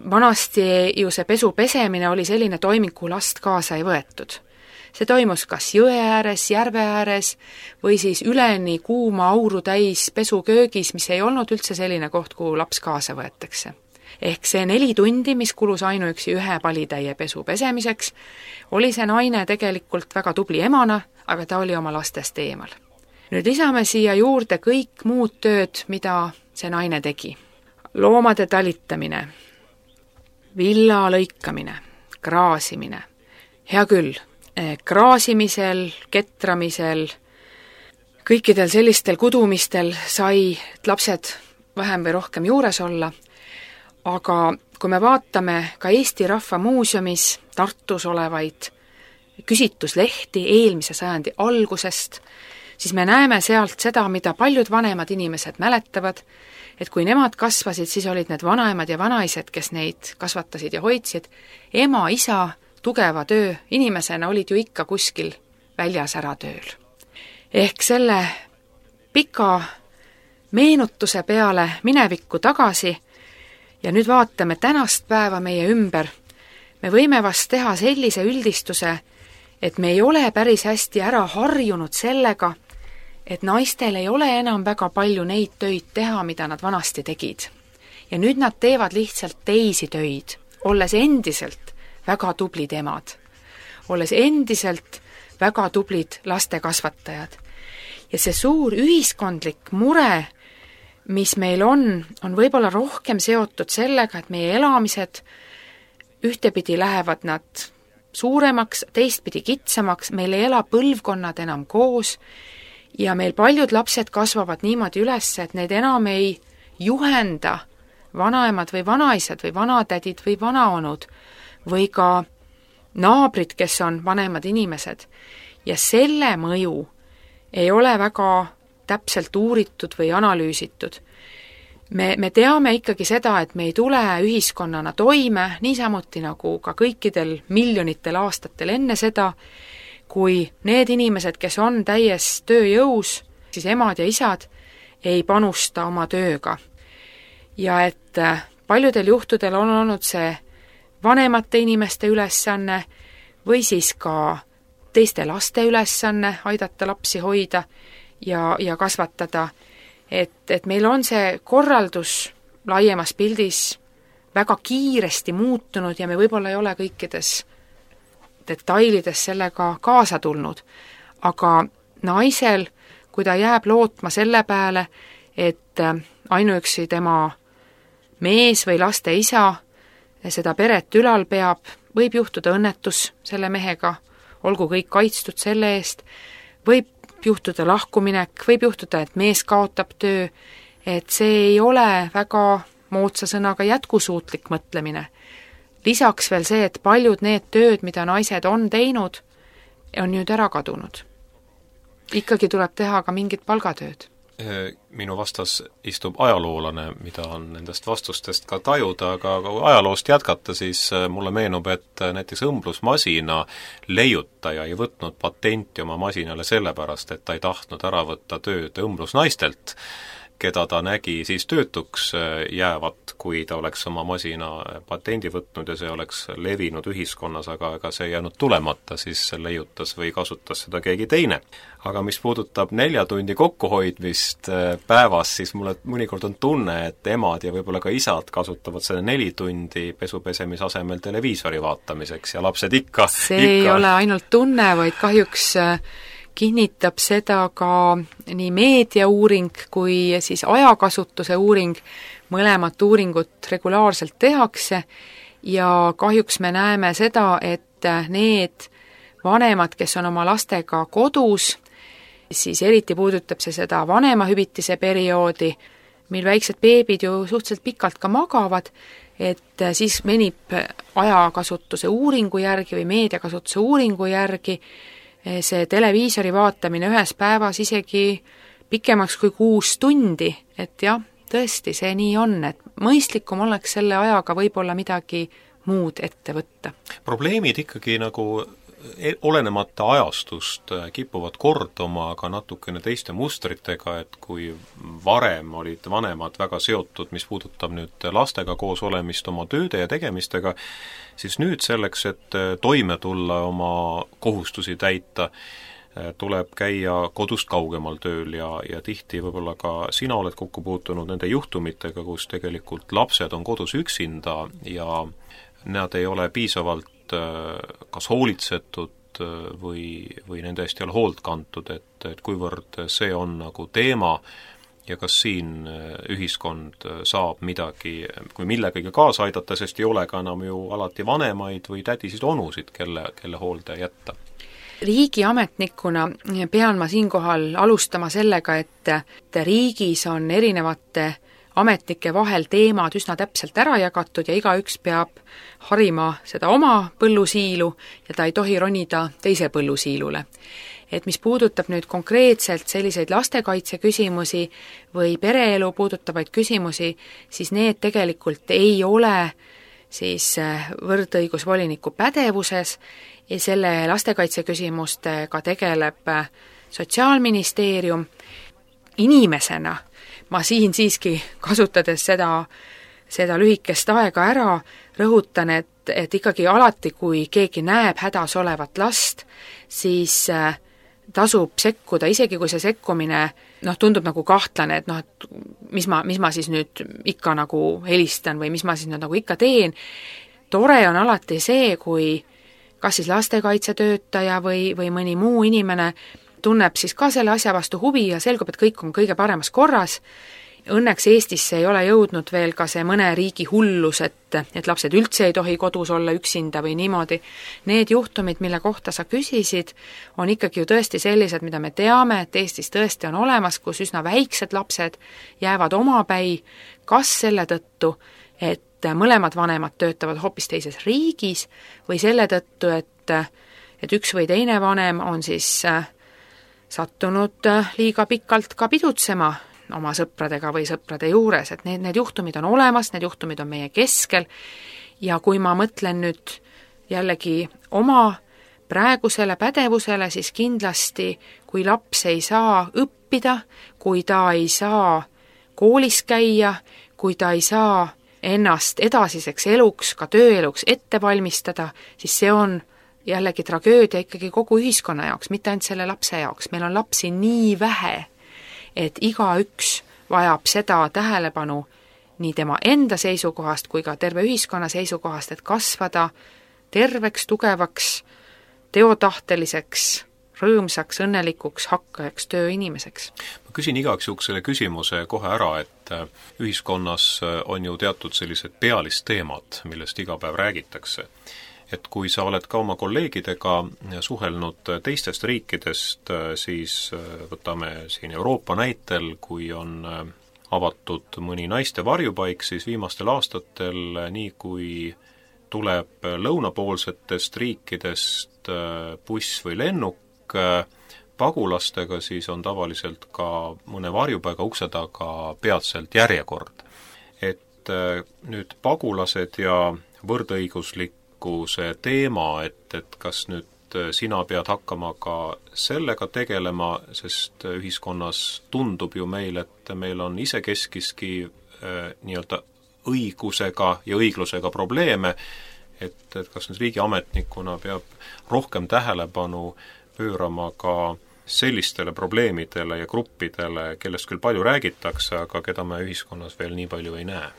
Vanasti ju see pesu pesemine oli selline toiming, kuhu last kaasa ei võetud. See toimus kas jõe ääres, järve ääres või siis üleni kuuma auru täis pesuköögis, mis ei olnud üldse selline koht, kuhu laps kaasa võetakse. Ehk see 4 tundi, mis kulus ainuüksi ühe palitäie pesu pesemiseks, oli see naine tegelikult väga tubli emana, aga ta oli oma lastest eemal. Nüüd lisame siia juurde kõik muud tööd, mida see naine tegi. Loomade talitamine, villa lõikamine, kraasimine. Hea küll, kraasimisel, ketramisel, kõikidel sellistel kudumistel sai lapsed vähem või rohkem juures olla, aga kui me vaatame ka Eesti Rahva Muuseumis Tartus olevaid küsitluslehti eelmise sajandi algusest, siis me näeme sealt seda, mida paljud vanemad inimesed mäletavad, et kui nemad kasvasid, siis olid need vanaemad ja vanaised, kes neid kasvatasid ja hoidsid, ema, isa, tugeva töö inimesena olid ju ikka kuskil väljas ära tööl. Ehk selle pika meenutuse peale minevikku tagasi ja nüüd vaatame tänast päeva meie ümber, me võime vast teha sellise üldistuse, et me ei ole päris hästi ära harjunud sellega, et naistel ei ole enam väga palju neid töid teha, mida nad vanasti tegid. Ja nüüd nad teevad lihtsalt teisi töid, olles endiselt väga tublid emad. olles endiselt väga tublid lastekasvatajad. Ja see suur ühiskondlik mure, mis meil on võib-olla rohkem seotud sellega, et meie elamised ühtepidi lähevad nad suuremaks, teistpidi kitsamaks, meil ei ela põlvkonnad enam koos ja meil paljud lapsed kasvavad niimoodi üles, et need enam ei juhenda vanaemad või vanaisad või vanatädid või vanaonud või ka naabrid, kes on vanemad inimesed. Ja selle mõju ei ole väga täpselt uuritud või analüüsitud. Me teame ikkagi seda, et me ei tule ühiskonnana toime, niisamuti nagu ka kõikidel miljonitel aastatel enne seda, kui need inimesed, kes on täies tööjõus, siis emad ja isad, ei panusta oma tööga. Ja et paljudel juhtudel on olnud see vanemate inimeste ülesanne või siis ka teiste laste ülesanne aidata lapsi hoida ja kasvatada. Et meil on see korraldus laiemas pildis väga kiiresti muutunud ja me võib-olla ei ole kõikides detailides sellega kaasa tulnud. Aga naisel, kui ta jääb lootma selle peale, et ainuüksi tema mees või laste isa seda peret ülal peab, võib juhtuda õnnetus selle mehega, olgu kõik kaitstud selle eest, võib juhtuda lahkuminek, võib juhtuda, et mees kaotab töö, et see ei ole väga moodsa sõnaga jätkusuutlik mõtlemine. Lisaks veel see, et paljud need tööd, mida naised on teinud, on nüüd ära kadunud. Ikkagi tuleb teha ka mingit palgatööd. Minu vastas istub ajaloolane, mida on nendest vastustest ka tajuda, aga kui ajaloost jätkata, siis mulle meenub, et näiteks õmblusmasina leiutaja ei võtnud patenti oma masinale sellepärast, et ta ei tahtnud ära võtta tööd õmblusnaistelt, keda ta nägi siis töötuks jäävat, kui ta oleks oma masina patendi võtnud ja see oleks levinud ühiskonnas, aga see ei jäänud tulemata, siis leiutas või kasutas seda keegi teine. Aga mis puudutab 4 tundi kokkuhoidmist päevas, siis mulle mõnikord on tunne, et emad ja võib-olla ka isad kasutavad selle 4 tundi pesupesemise asemel televiisori vaatamiseks ja lapsed ikka ei ole ainult tunne, vaid kahjuks kinnitab seda ka nii meediauuring kui siis ajakasutuse uuring, mõlemat uuringut regulaarselt tehakse ja kahjuks me näeme seda, et need vanemad, kes on oma lastega kodus, siis eriti puudutab see seda vanemahüvitise perioodi, mil väiksed beebid ju suhteliselt pikalt ka magavad, et siis menib ajakasutuse uuringu järgi või meediakasutuse uuringu järgi see televiisori vaatamine ühes päevas isegi pikemaks kui 6 tundi, et jah, tõesti, see nii on, et mõistlikum oleks selle ajaga võib-olla midagi muud ette võtta. Probleemid ikkagi nagu olenemata ajastust kipuvad korduma ka natukene teiste mustritega, et kui varem olid vanemad väga seotud, mis puudutab nüüd lastega koos olemist oma tööde ja tegemistega, siis nüüd selleks, et toime tulla oma kohustusi täita, tuleb käia kodust kaugemal tööl ja tihti võib-olla ka sina oled kokku puutunud nende juhtumitega, kus tegelikult lapsed on kodus üksinda ja nad ei ole piisavalt kas hoolitsetud või nende eest ei ole hoolt kantud, et kuivõrd see on nagu teema ja kas siin ühiskond saab midagi, kui millegagi kaasa aidata, sest ei ole ka enam ju alati vanemaid või tädisid onusid, kelle hoolde jätta. Riigiametnikuna pean ma siinkohal alustama sellega, et riigis on erinevate ametnike vahel teemad üsna täpselt ära jagatud ja igaüks peab harima seda oma põllusiilu ja ta ei tohi ronida teise põllusiilule. Et mis puudutab nüüd konkreetselt selliseid lastekaitse küsimusi või pereelu puudutavaid küsimusi, siis need tegelikult ei ole siis võrdõigusvoliniku pädevuses ja selle lastekaitse küsimustega tegeleb Sotsiaalministeerium. Inimesena ma siin siiski, kasutades seda lühikest aega ära, rõhutan, et ikkagi alati, kui keegi näeb hädas olevat last, siis tasub sekkuda, isegi kui see sekkumine tundub nagu kahtlane, et et mis ma siis nüüd ikka nagu helistan või mis ma siis nüüd nagu ikka teen. Tore on alati see, kui kas siis lastekaitsetöötaja või mõni muu inimene tunneb siis ka selle asja vastu huvi ja selgub, et kõik on kõige paremas korras. Õnneks Eestisse ei ole jõudnud veel ka see mõne riigi hullus, et lapsed üldse ei tohi kodus olla üksinda või niimoodi. Need juhtumid, mille kohta sa küsisid, on ikkagi ju tõesti sellised, mida me teame, et Eestis tõesti on olemas, kus üsna väiksed lapsed jäävad omapäi, kas selle tõttu, et mõlemad vanemad töötavad hoopis teises riigis või selle tõttu, et üks või teine vanem on siis sattunud liiga pikalt ka pidutsema oma sõpradega või sõprade juures, et need juhtumid on olemas, need juhtumid on meie keskel ja kui ma mõtlen nüüd jällegi oma praegusele pädevusele, siis kindlasti, kui laps ei saa õppida, kui ta ei saa koolis käia, kui ta ei saa ennast edasiseks eluks, ka tööeluks ette valmistada, siis see on jällegi tragöödia ikkagi kogu ühiskonna jaoks, mitte ainult selle lapse jaoks. Meil on lapsi nii vähe, et igaüks vajab seda tähelepanu nii tema enda seisukohast kui ka terve ühiskonna seisukohast, et kasvada terveks, tugevaks, teotahteliseks, rõõmsaks, õnnelikuks, hakkajaks tööinimeseks. Ma küsin igaks juhuks selle küsimuse kohe ära, et ühiskonnas on ju teatud sellised pealisteemad, millest iga päev räägitakse. Et kui sa oled ka oma kolleegidega suhelnud teistest riikidest, siis võtame siin Euroopa näitel, kui on avatud mõni naiste varjupaik, siis viimastel aastatel, nii kui tuleb lõunapoolsetest riikidest buss või lennuk pagulastega, siis on tavaliselt ka mõne varjupaiga ukse taga peatselt järjekord. Et nüüd pagulased ja võrdõiguslik see teema, et kas nüüd sina pead hakkama ka sellega tegelema, sest ühiskonnas tundub ju meil, et meil on isekeskiski nii-öelda õigusega ja õiglusega probleeme, et kas nüüd riigiametnikuna peab rohkem tähelepanu pöörama ka sellistele probleemidele ja gruppidele, kellest küll palju räägitakse, aga keda me ühiskonnas veel nii palju ei näe.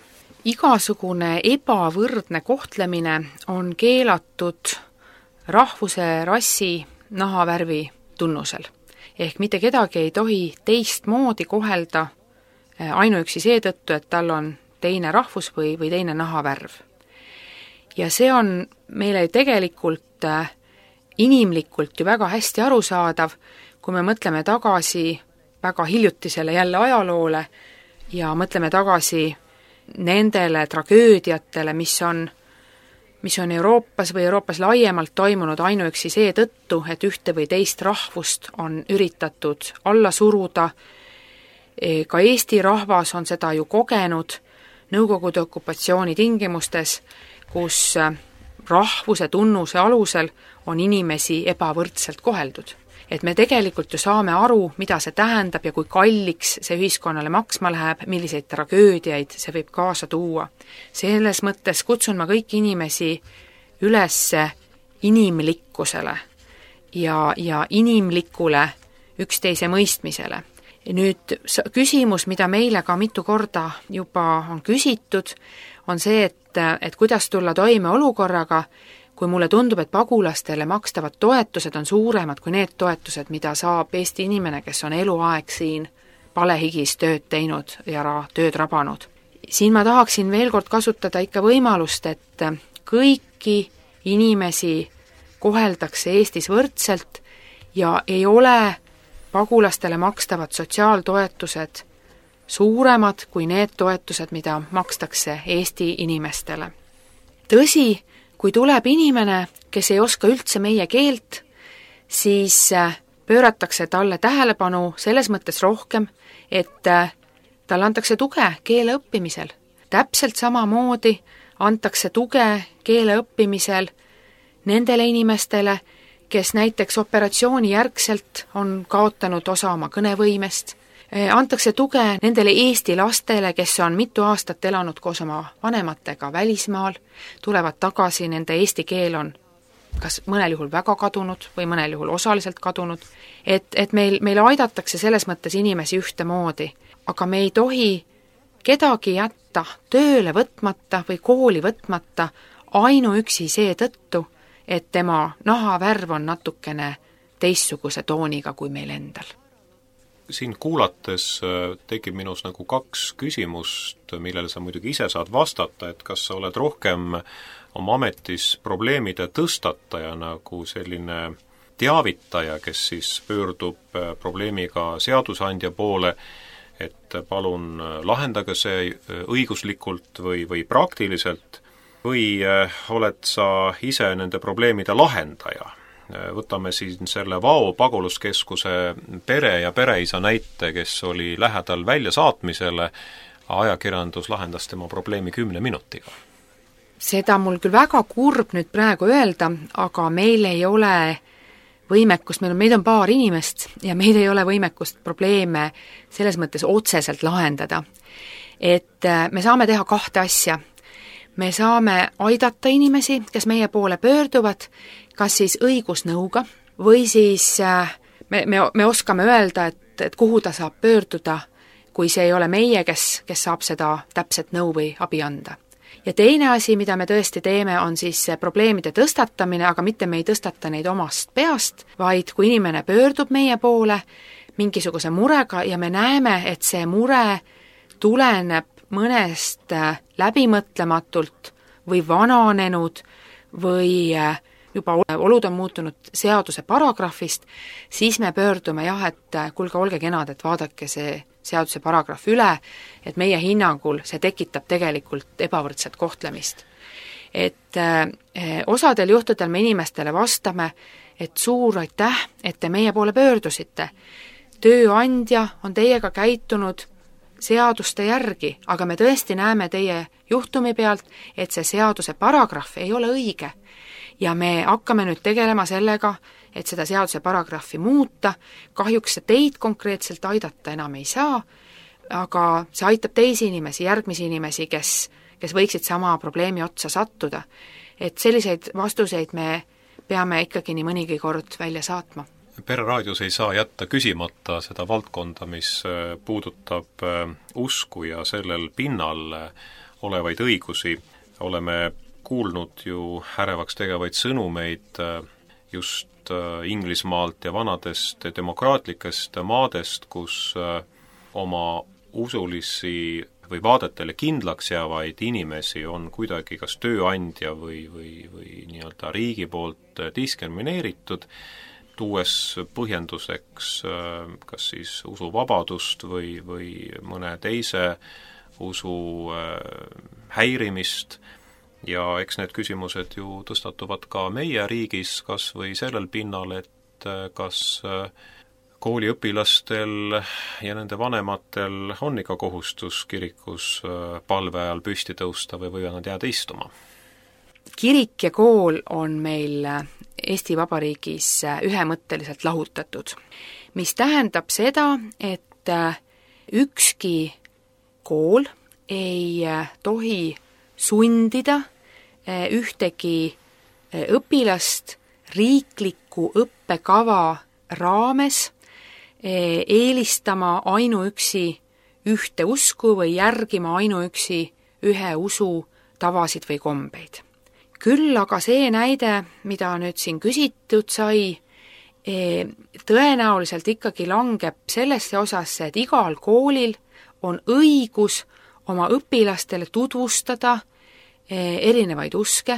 Igasugune ebavõrdne kohtlemine on keelatud rahvuse, rassi, nahavärvi tunnusel. Ehk mitte kedagi ei tohi teistmoodi kohelda ainuüksi seetõttu, et tal on teine rahvus või teine nahavärv. Ja see on meile tegelikult inimlikult ju väga hästi arusaadav, kui me mõtleme tagasi väga hiljutisele jälle ajaloole ja mõtleme tagasi nendele tragöödiatele, mis on Euroopas või Euroopas laiemalt toimunud ainuüksi seetõttu, et ühte või teist rahvust on üritatud alla suruda. Ka Eesti rahvas on seda ju kogenud Nõukogude okupatsiooni tingimustes, kus rahvuse tunnuse alusel on inimesi ebavõrdselt koheldud. Et me tegelikult ju saame aru, mida see tähendab ja kui kalliks see ühiskonnale maksma läheb, milliseid tragöödiaid see võib kaasa tuua. Selles mõttes kutsun ma kõiki inimesi üles inimlikkusele ja inimlikule üksteise mõistmisele. Nüüd küsimus, mida meile ka mitu korda juba on küsitud, on see, et kuidas tulla toime olukorraga, kui mulle tundub, et pagulastele makstavad toetused on suuremad kui need toetused, mida saab Eesti inimene, kes on eluaeg siin palehigis tööd teinud ja tööd rabanud. Siin ma tahaksin veel kord kasutada ikka võimalust, et kõiki inimesi koheldakse Eestis võrdselt ja ei ole pagulastele makstavad sotsiaaltoetused suuremad kui need toetused, mida makstakse Eesti inimestele. Tõsi, kui tuleb inimene, kes ei oska üldse meie keelt, siis pööratakse talle tähelepanu selles mõttes rohkem, et talle antakse tuge keele õppimisel. Täpselt samamoodi antakse tuge keele õppimisel nendele inimestele, kes näiteks operatsiooni järgselt on kaotanud osa oma kõnevõimest. Antakse tuge nendele Eesti lastele, kes on mitu aastat elanud koos oma vanematega välismaal, tulevad tagasi, nende eesti keel on kas mõnel juhul väga kadunud või mõnel juhul osaliselt kadunud, et meil aidatakse selles mõttes inimesi ühtemoodi, aga me ei tohi kedagi jätta tööle võtmata või kooli võtmata ainuüksi seetõttu, et tema nahavärv on natukene teistsuguse tooniga kui meil endal. Siin kuulates tekib minus nagu kaks küsimust, millele sa muidugi ise saad vastata, et kas sa oled rohkem oma ametis probleemide tõstataja nagu selline teavitaja, kes siis pöördub probleemiga seadusandja poole, et palun lahendage see õiguslikult või praktiliselt, või oled sa ise nende probleemide lahendaja? Võtame siin selle Vao paguluskeskuse pere ja pereisa näite, kes oli lähedal väljasaatmisele, ajakirjandus lahendas tema probleemi 10 minutiga. Seda mul küll väga kurb nüüd praegu öelda, aga meil ei ole võimekust, meid on paar inimest ja meil ei ole võimekust probleeme selles mõttes otseselt lahendada. Et me saame teha kahte asja. Me saame aidata inimesi, kes meie poole pöörduvad, kas siis õigusnõuga või siis me oskame öelda, et kuhu ta saab pöörduda, kui see ei ole meie, kes saab seda täpset nõu või abi anda. Ja teine asi, mida me tõesti teeme, on siis probleemide tõstatamine, aga mitte me ei tõstata neid omast peast, vaid kui inimene pöördub meie poole mingisuguse murega ja me näeme, et see mure tuleneb mõnest läbimõtlematult või vananenud või juba olud on muutunud seaduse paragrahvist, siis me pöördume et kuulge, olge kenad, et vaadake see seaduse paragrahv üle, et meie hinnangul see tekitab tegelikult ebavõrdset kohtlemist. Et osadel juhtudel me inimestele vastame, et suur aitäh, et te meie poole pöördusite. Tööandja on teiega käitunud seaduste järgi, aga me tõesti näeme teie juhtumi pealt, et see seaduse paragrahv ei ole õige. Ja me hakkame nüüd tegelema sellega, et seda seaduse paragrahvi muuta, kahjuks see teid konkreetselt aidata enam ei saa, aga see aitab teisi inimesi, järgmisi inimesi, kes võiksid sama probleemi otsa sattuda. Et selliseid vastuseid me peame ikkagi nii mõnigi kord välja saatma. Pereraadios ei saa jätta küsimata seda valdkonda, mis puudutab usku ja sellel pinnal olevaid õigusi. Oleme kuulnud ju ärevaks tegevaid sõnumeid just Inglismaalt ja vanadest demokraatlikest maadest, kus oma usulisi või vaadetele kindlaks jäävaid inimesi on kuidagi kas tööandja või nii-öelda riigi poolt diskrimineeritud, tuues põhjenduseks kas siis usuvabadust või mõne teise usu häirimist. Ja eks need küsimused ju tõstatuvad ka meie riigis, kas või sellel pinnal, et kas kooliõpilastel ja nende vanematel on ikka kohustus kirikus palve ajal püsti tõusta või võivad nad jääda istuma? Kirik ja kool on meil Eesti Vabariigis ühemõtteliselt lahutatud, mis tähendab seda, et ükski kool ei tohi sundida ühtegi õpilast riikliku õppekava raames eelistama ainuüksi ühte usku või järgima ainuüksi ühe usu tavasid või kombeid. Küll aga see näide, mida nüüd siin küsitud sai, tõenäoliselt ikkagi langeb sellesse osasse, et igal koolil on õigus oma õpilastele tutvustada erinevaid uske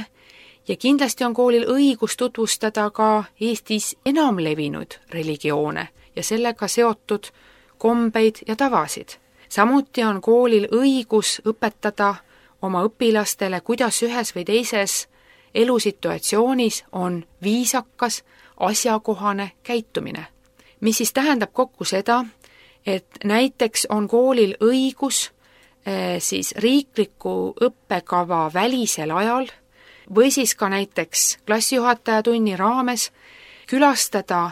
ja kindlasti on koolil õigus tutvustada ka Eestis enamlevinud religioone ja sellega seotud kombeid ja tavasid. Samuti on koolil õigus õpetada oma õpilastele, kuidas ühes või teises elusituatsioonis on viisakas, asjakohane käitumine. Mis siis tähendab kokku seda, et näiteks on koolil õigus siis riikliku õppekava välisel ajal või siis ka näiteks klassijuhataja tunni raames külastada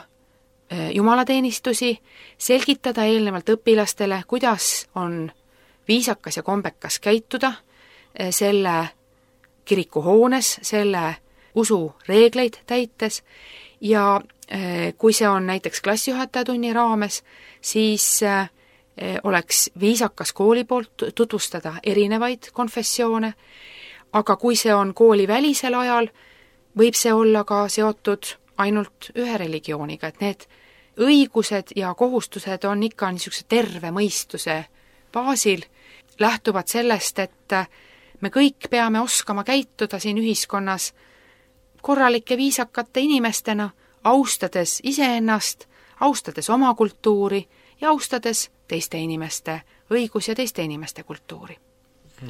jumalateenistusi, selgitada eelnevalt õpilastele, kuidas on viisakas ja kombekas käituda selle kirikuhoones, selle usu reegleid täites ja kui see on näiteks klassijuhataja tunni raames, siis oleks viisakas kooli poolt tutvustada erinevaid konfessioone, aga kui see on kooli välisel ajal, võib see olla ka seotud ainult ühe religiooniga, et need õigused ja kohustused on ikka niisuguse terve mõistuse baasil, lähtuvad sellest, et me kõik peame oskama käituda siin ühiskonnas korralike viisakate inimestena, austades iseennast, austades oma kultuuri ja austades teiste inimeste õigus ja teiste inimeste kultuuri.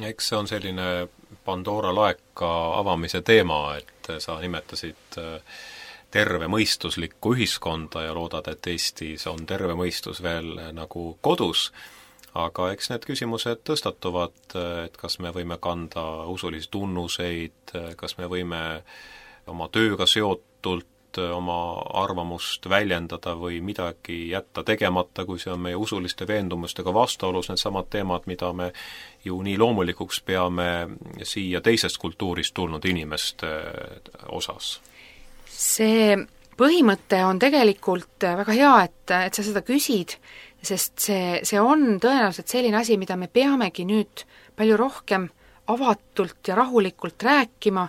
Eks see on selline Pandora laeka avamise teema, et sa nimetasid tervemõistuslikku ühiskonda ja loodad, et Eestis on terve mõistus veel nagu kodus, aga eks need küsimused tõstatuvad, et kas me võime kanda usulisi tunnuseid, kas me võime oma tööga seotult oma arvamust väljendada või midagi jätta tegemata, kui see on meie usuliste veendumustega vastuolus, need samad teemad, mida me ju nii loomulikuks peame siia teisest kultuurist tulnud inimeste osas. See põhimõte on tegelikult väga hea, et sa seda küsid, sest see on tõenäoliselt selline asi, mida me peamegi nüüd palju rohkem avatult ja rahulikult rääkima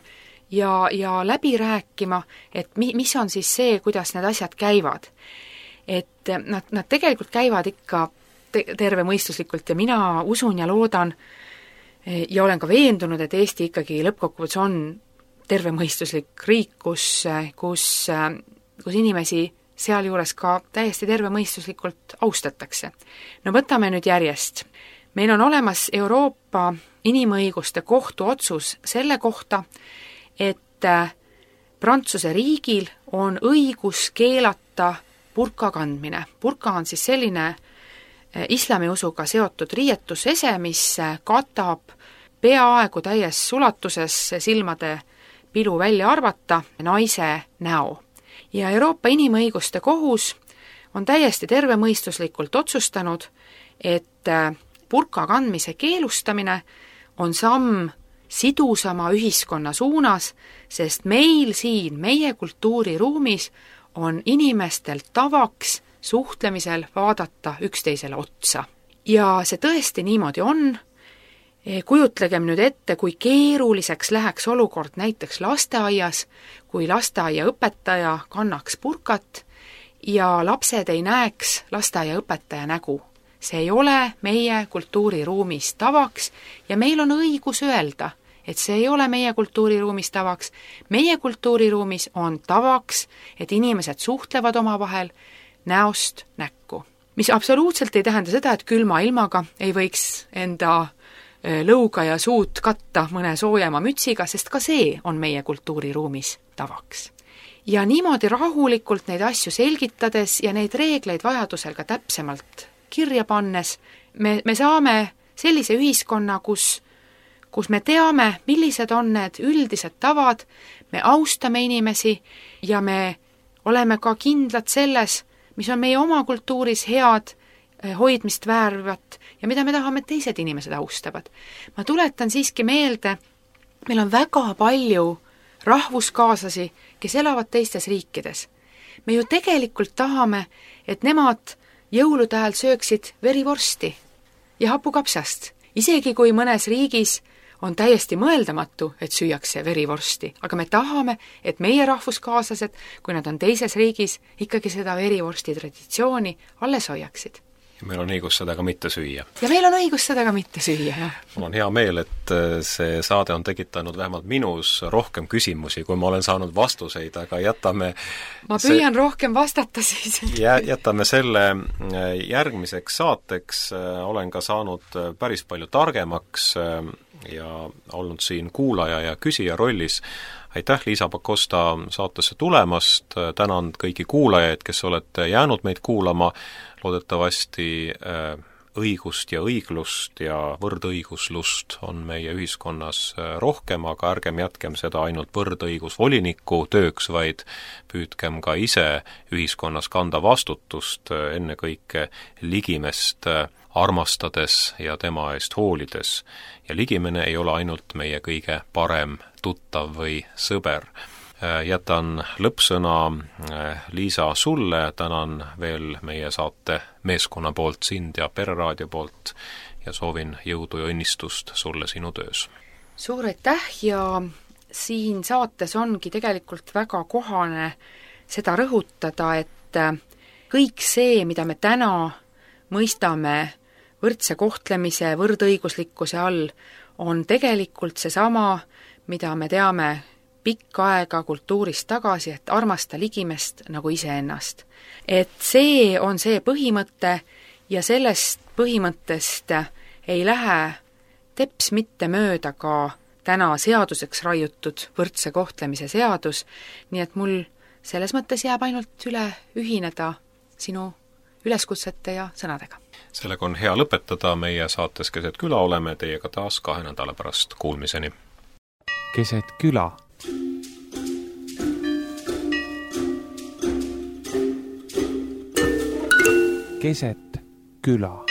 ja läbi rääkima, et mis on siis see, kuidas need asjad käivad. Et nad tegelikult käivad ikka tervemõistuslikult ja mina usun ja loodan ja olen ka veendunud, et Eesti ikkagi lõppkokkuvõttes on tervemõistuslik riik, kus inimesi sealjuures ka täiesti tervemõistuslikult austatakse. No võtame nüüd järjest. Meil on olemas Euroopa Inimõiguste Kohtu otsus selle kohta, et Prantsuse riigil on õigus keelata burka kandmine. Burka on siis selline islamiusuga seotud riietusese, mis katab peaaegu täies ulatuses silmade pilu välja arvata naise näo. Ja Euroopa Inimõiguste Kohus on täiesti tervemõistuslikult otsustanud, et burka kandmise keelustamine on samm sidusama ühiskonna suunas, sest meil siin, meie kultuuriruumis on inimestel tavaks suhtlemisel vaadata üksteisele otsa. Ja see tõesti niimoodi on. Kujutlegem nüüd ette, kui keeruliseks läheks olukord näiteks lasteaias, kui lasteaiaõpetaja kannaks burkat ja lapsed ei näeks lasteaiaõpetaja nägu. See ei ole meie kultuuriruumis tavaks ja meil on õigus öelda, et see ei ole meie kultuuriruumis tavaks. Meie kultuuriruumis on tavaks, et inimesed suhtlevad omavahel näost näkku. Mis absoluutselt ei tähenda seda, et külma ilmaga ei võiks enda lõuga ja suud katta mõne soojema mütsiga, sest ka see on meie kultuuriruumis tavaks. Ja niimoodi rahulikult neid asju selgitades ja neid reegleid vajadusel ka täpsemalt kirja pannes, me saame sellise ühiskonna, kus me teame, millised on need üldised tavad, me austame inimesi ja me oleme ka kindlad selles, mis on meie oma kultuuris head, hoidmist väärivat ja mida me tahame, et teised inimesed austavad. Ma tuletan siiski meelde, meil on väga palju rahvuskaaslasi, kes elavad teistes riikides. Me ju tegelikult tahame, et nemad jõulude ajal sööksid verivorsti ja hapukapsast. Isegi kui mõnes riigis on täiesti mõeldamatu, et süüakse verivorsti, aga me tahame, et meie rahvuskaaslased, kui nad on teises riigis, ikkagi seda verivorsti traditsiooni alles hoiaksid. Ja meil on õigus seda ka mitte süüa. Ja meil on õigus seda ka mitte süüa, jah. Mul on hea meel, et see saade on tekitanud vähemalt minus rohkem küsimusi, kui ma olen saanud vastuseid, aga jätame... Ma püüan rohkem vastata siis. Jätame selle järgmiseks saateks. Olen ka saanud päris palju targemaks ja olnud siin kuulaja ja küsija rollis. Aitäh, Liisa Pakosta, saatesse tulemast. Tänan kõiki kuulajaid, kes olete jäänud meid kuulama. Loodetavasti õigust ja õiglust ja võrdõiguslust on meie ühiskonnas rohkem, aga ärgem jätkem seda ainult võrdõigusvoliniku tööks, vaid püüdkem ka ise ühiskonnas kanda vastutust ennekõike ligimest armastades ja tema eest hoolides. Ja ligimene ei ole ainult meie kõige parem tuttav või sõber. Jätan lõppsõna Liisa sulle, tänan veel meie saate meeskonna poolt, sind ja Pereraadio poolt ja soovin jõudu ja õnnistust sulle sinu töös. Suur aitäh ja siin saates ongi tegelikult väga kohane seda rõhutada, et kõik see, mida me täna mõistame võrdse kohtlemise, võrdõiguslikkuse all, on tegelikult seesama, mida me teame pikka aega kultuurist tagasi, et armasta ligimest nagu iseennast. Et see on see põhimõte ja sellest põhimõttest ei lähe teps mitte mööda ka täna seaduseks raiutud võrdse kohtlemise seadus, nii et mul selles mõttes jääb ainult üle ühineda sinu üleskutsete ja sõnadega. Sellega on hea lõpetada, meie saates Keset küla oleme teiega taas 2 nädala pärast, kuulmiseni. Keset küla. Keset küla.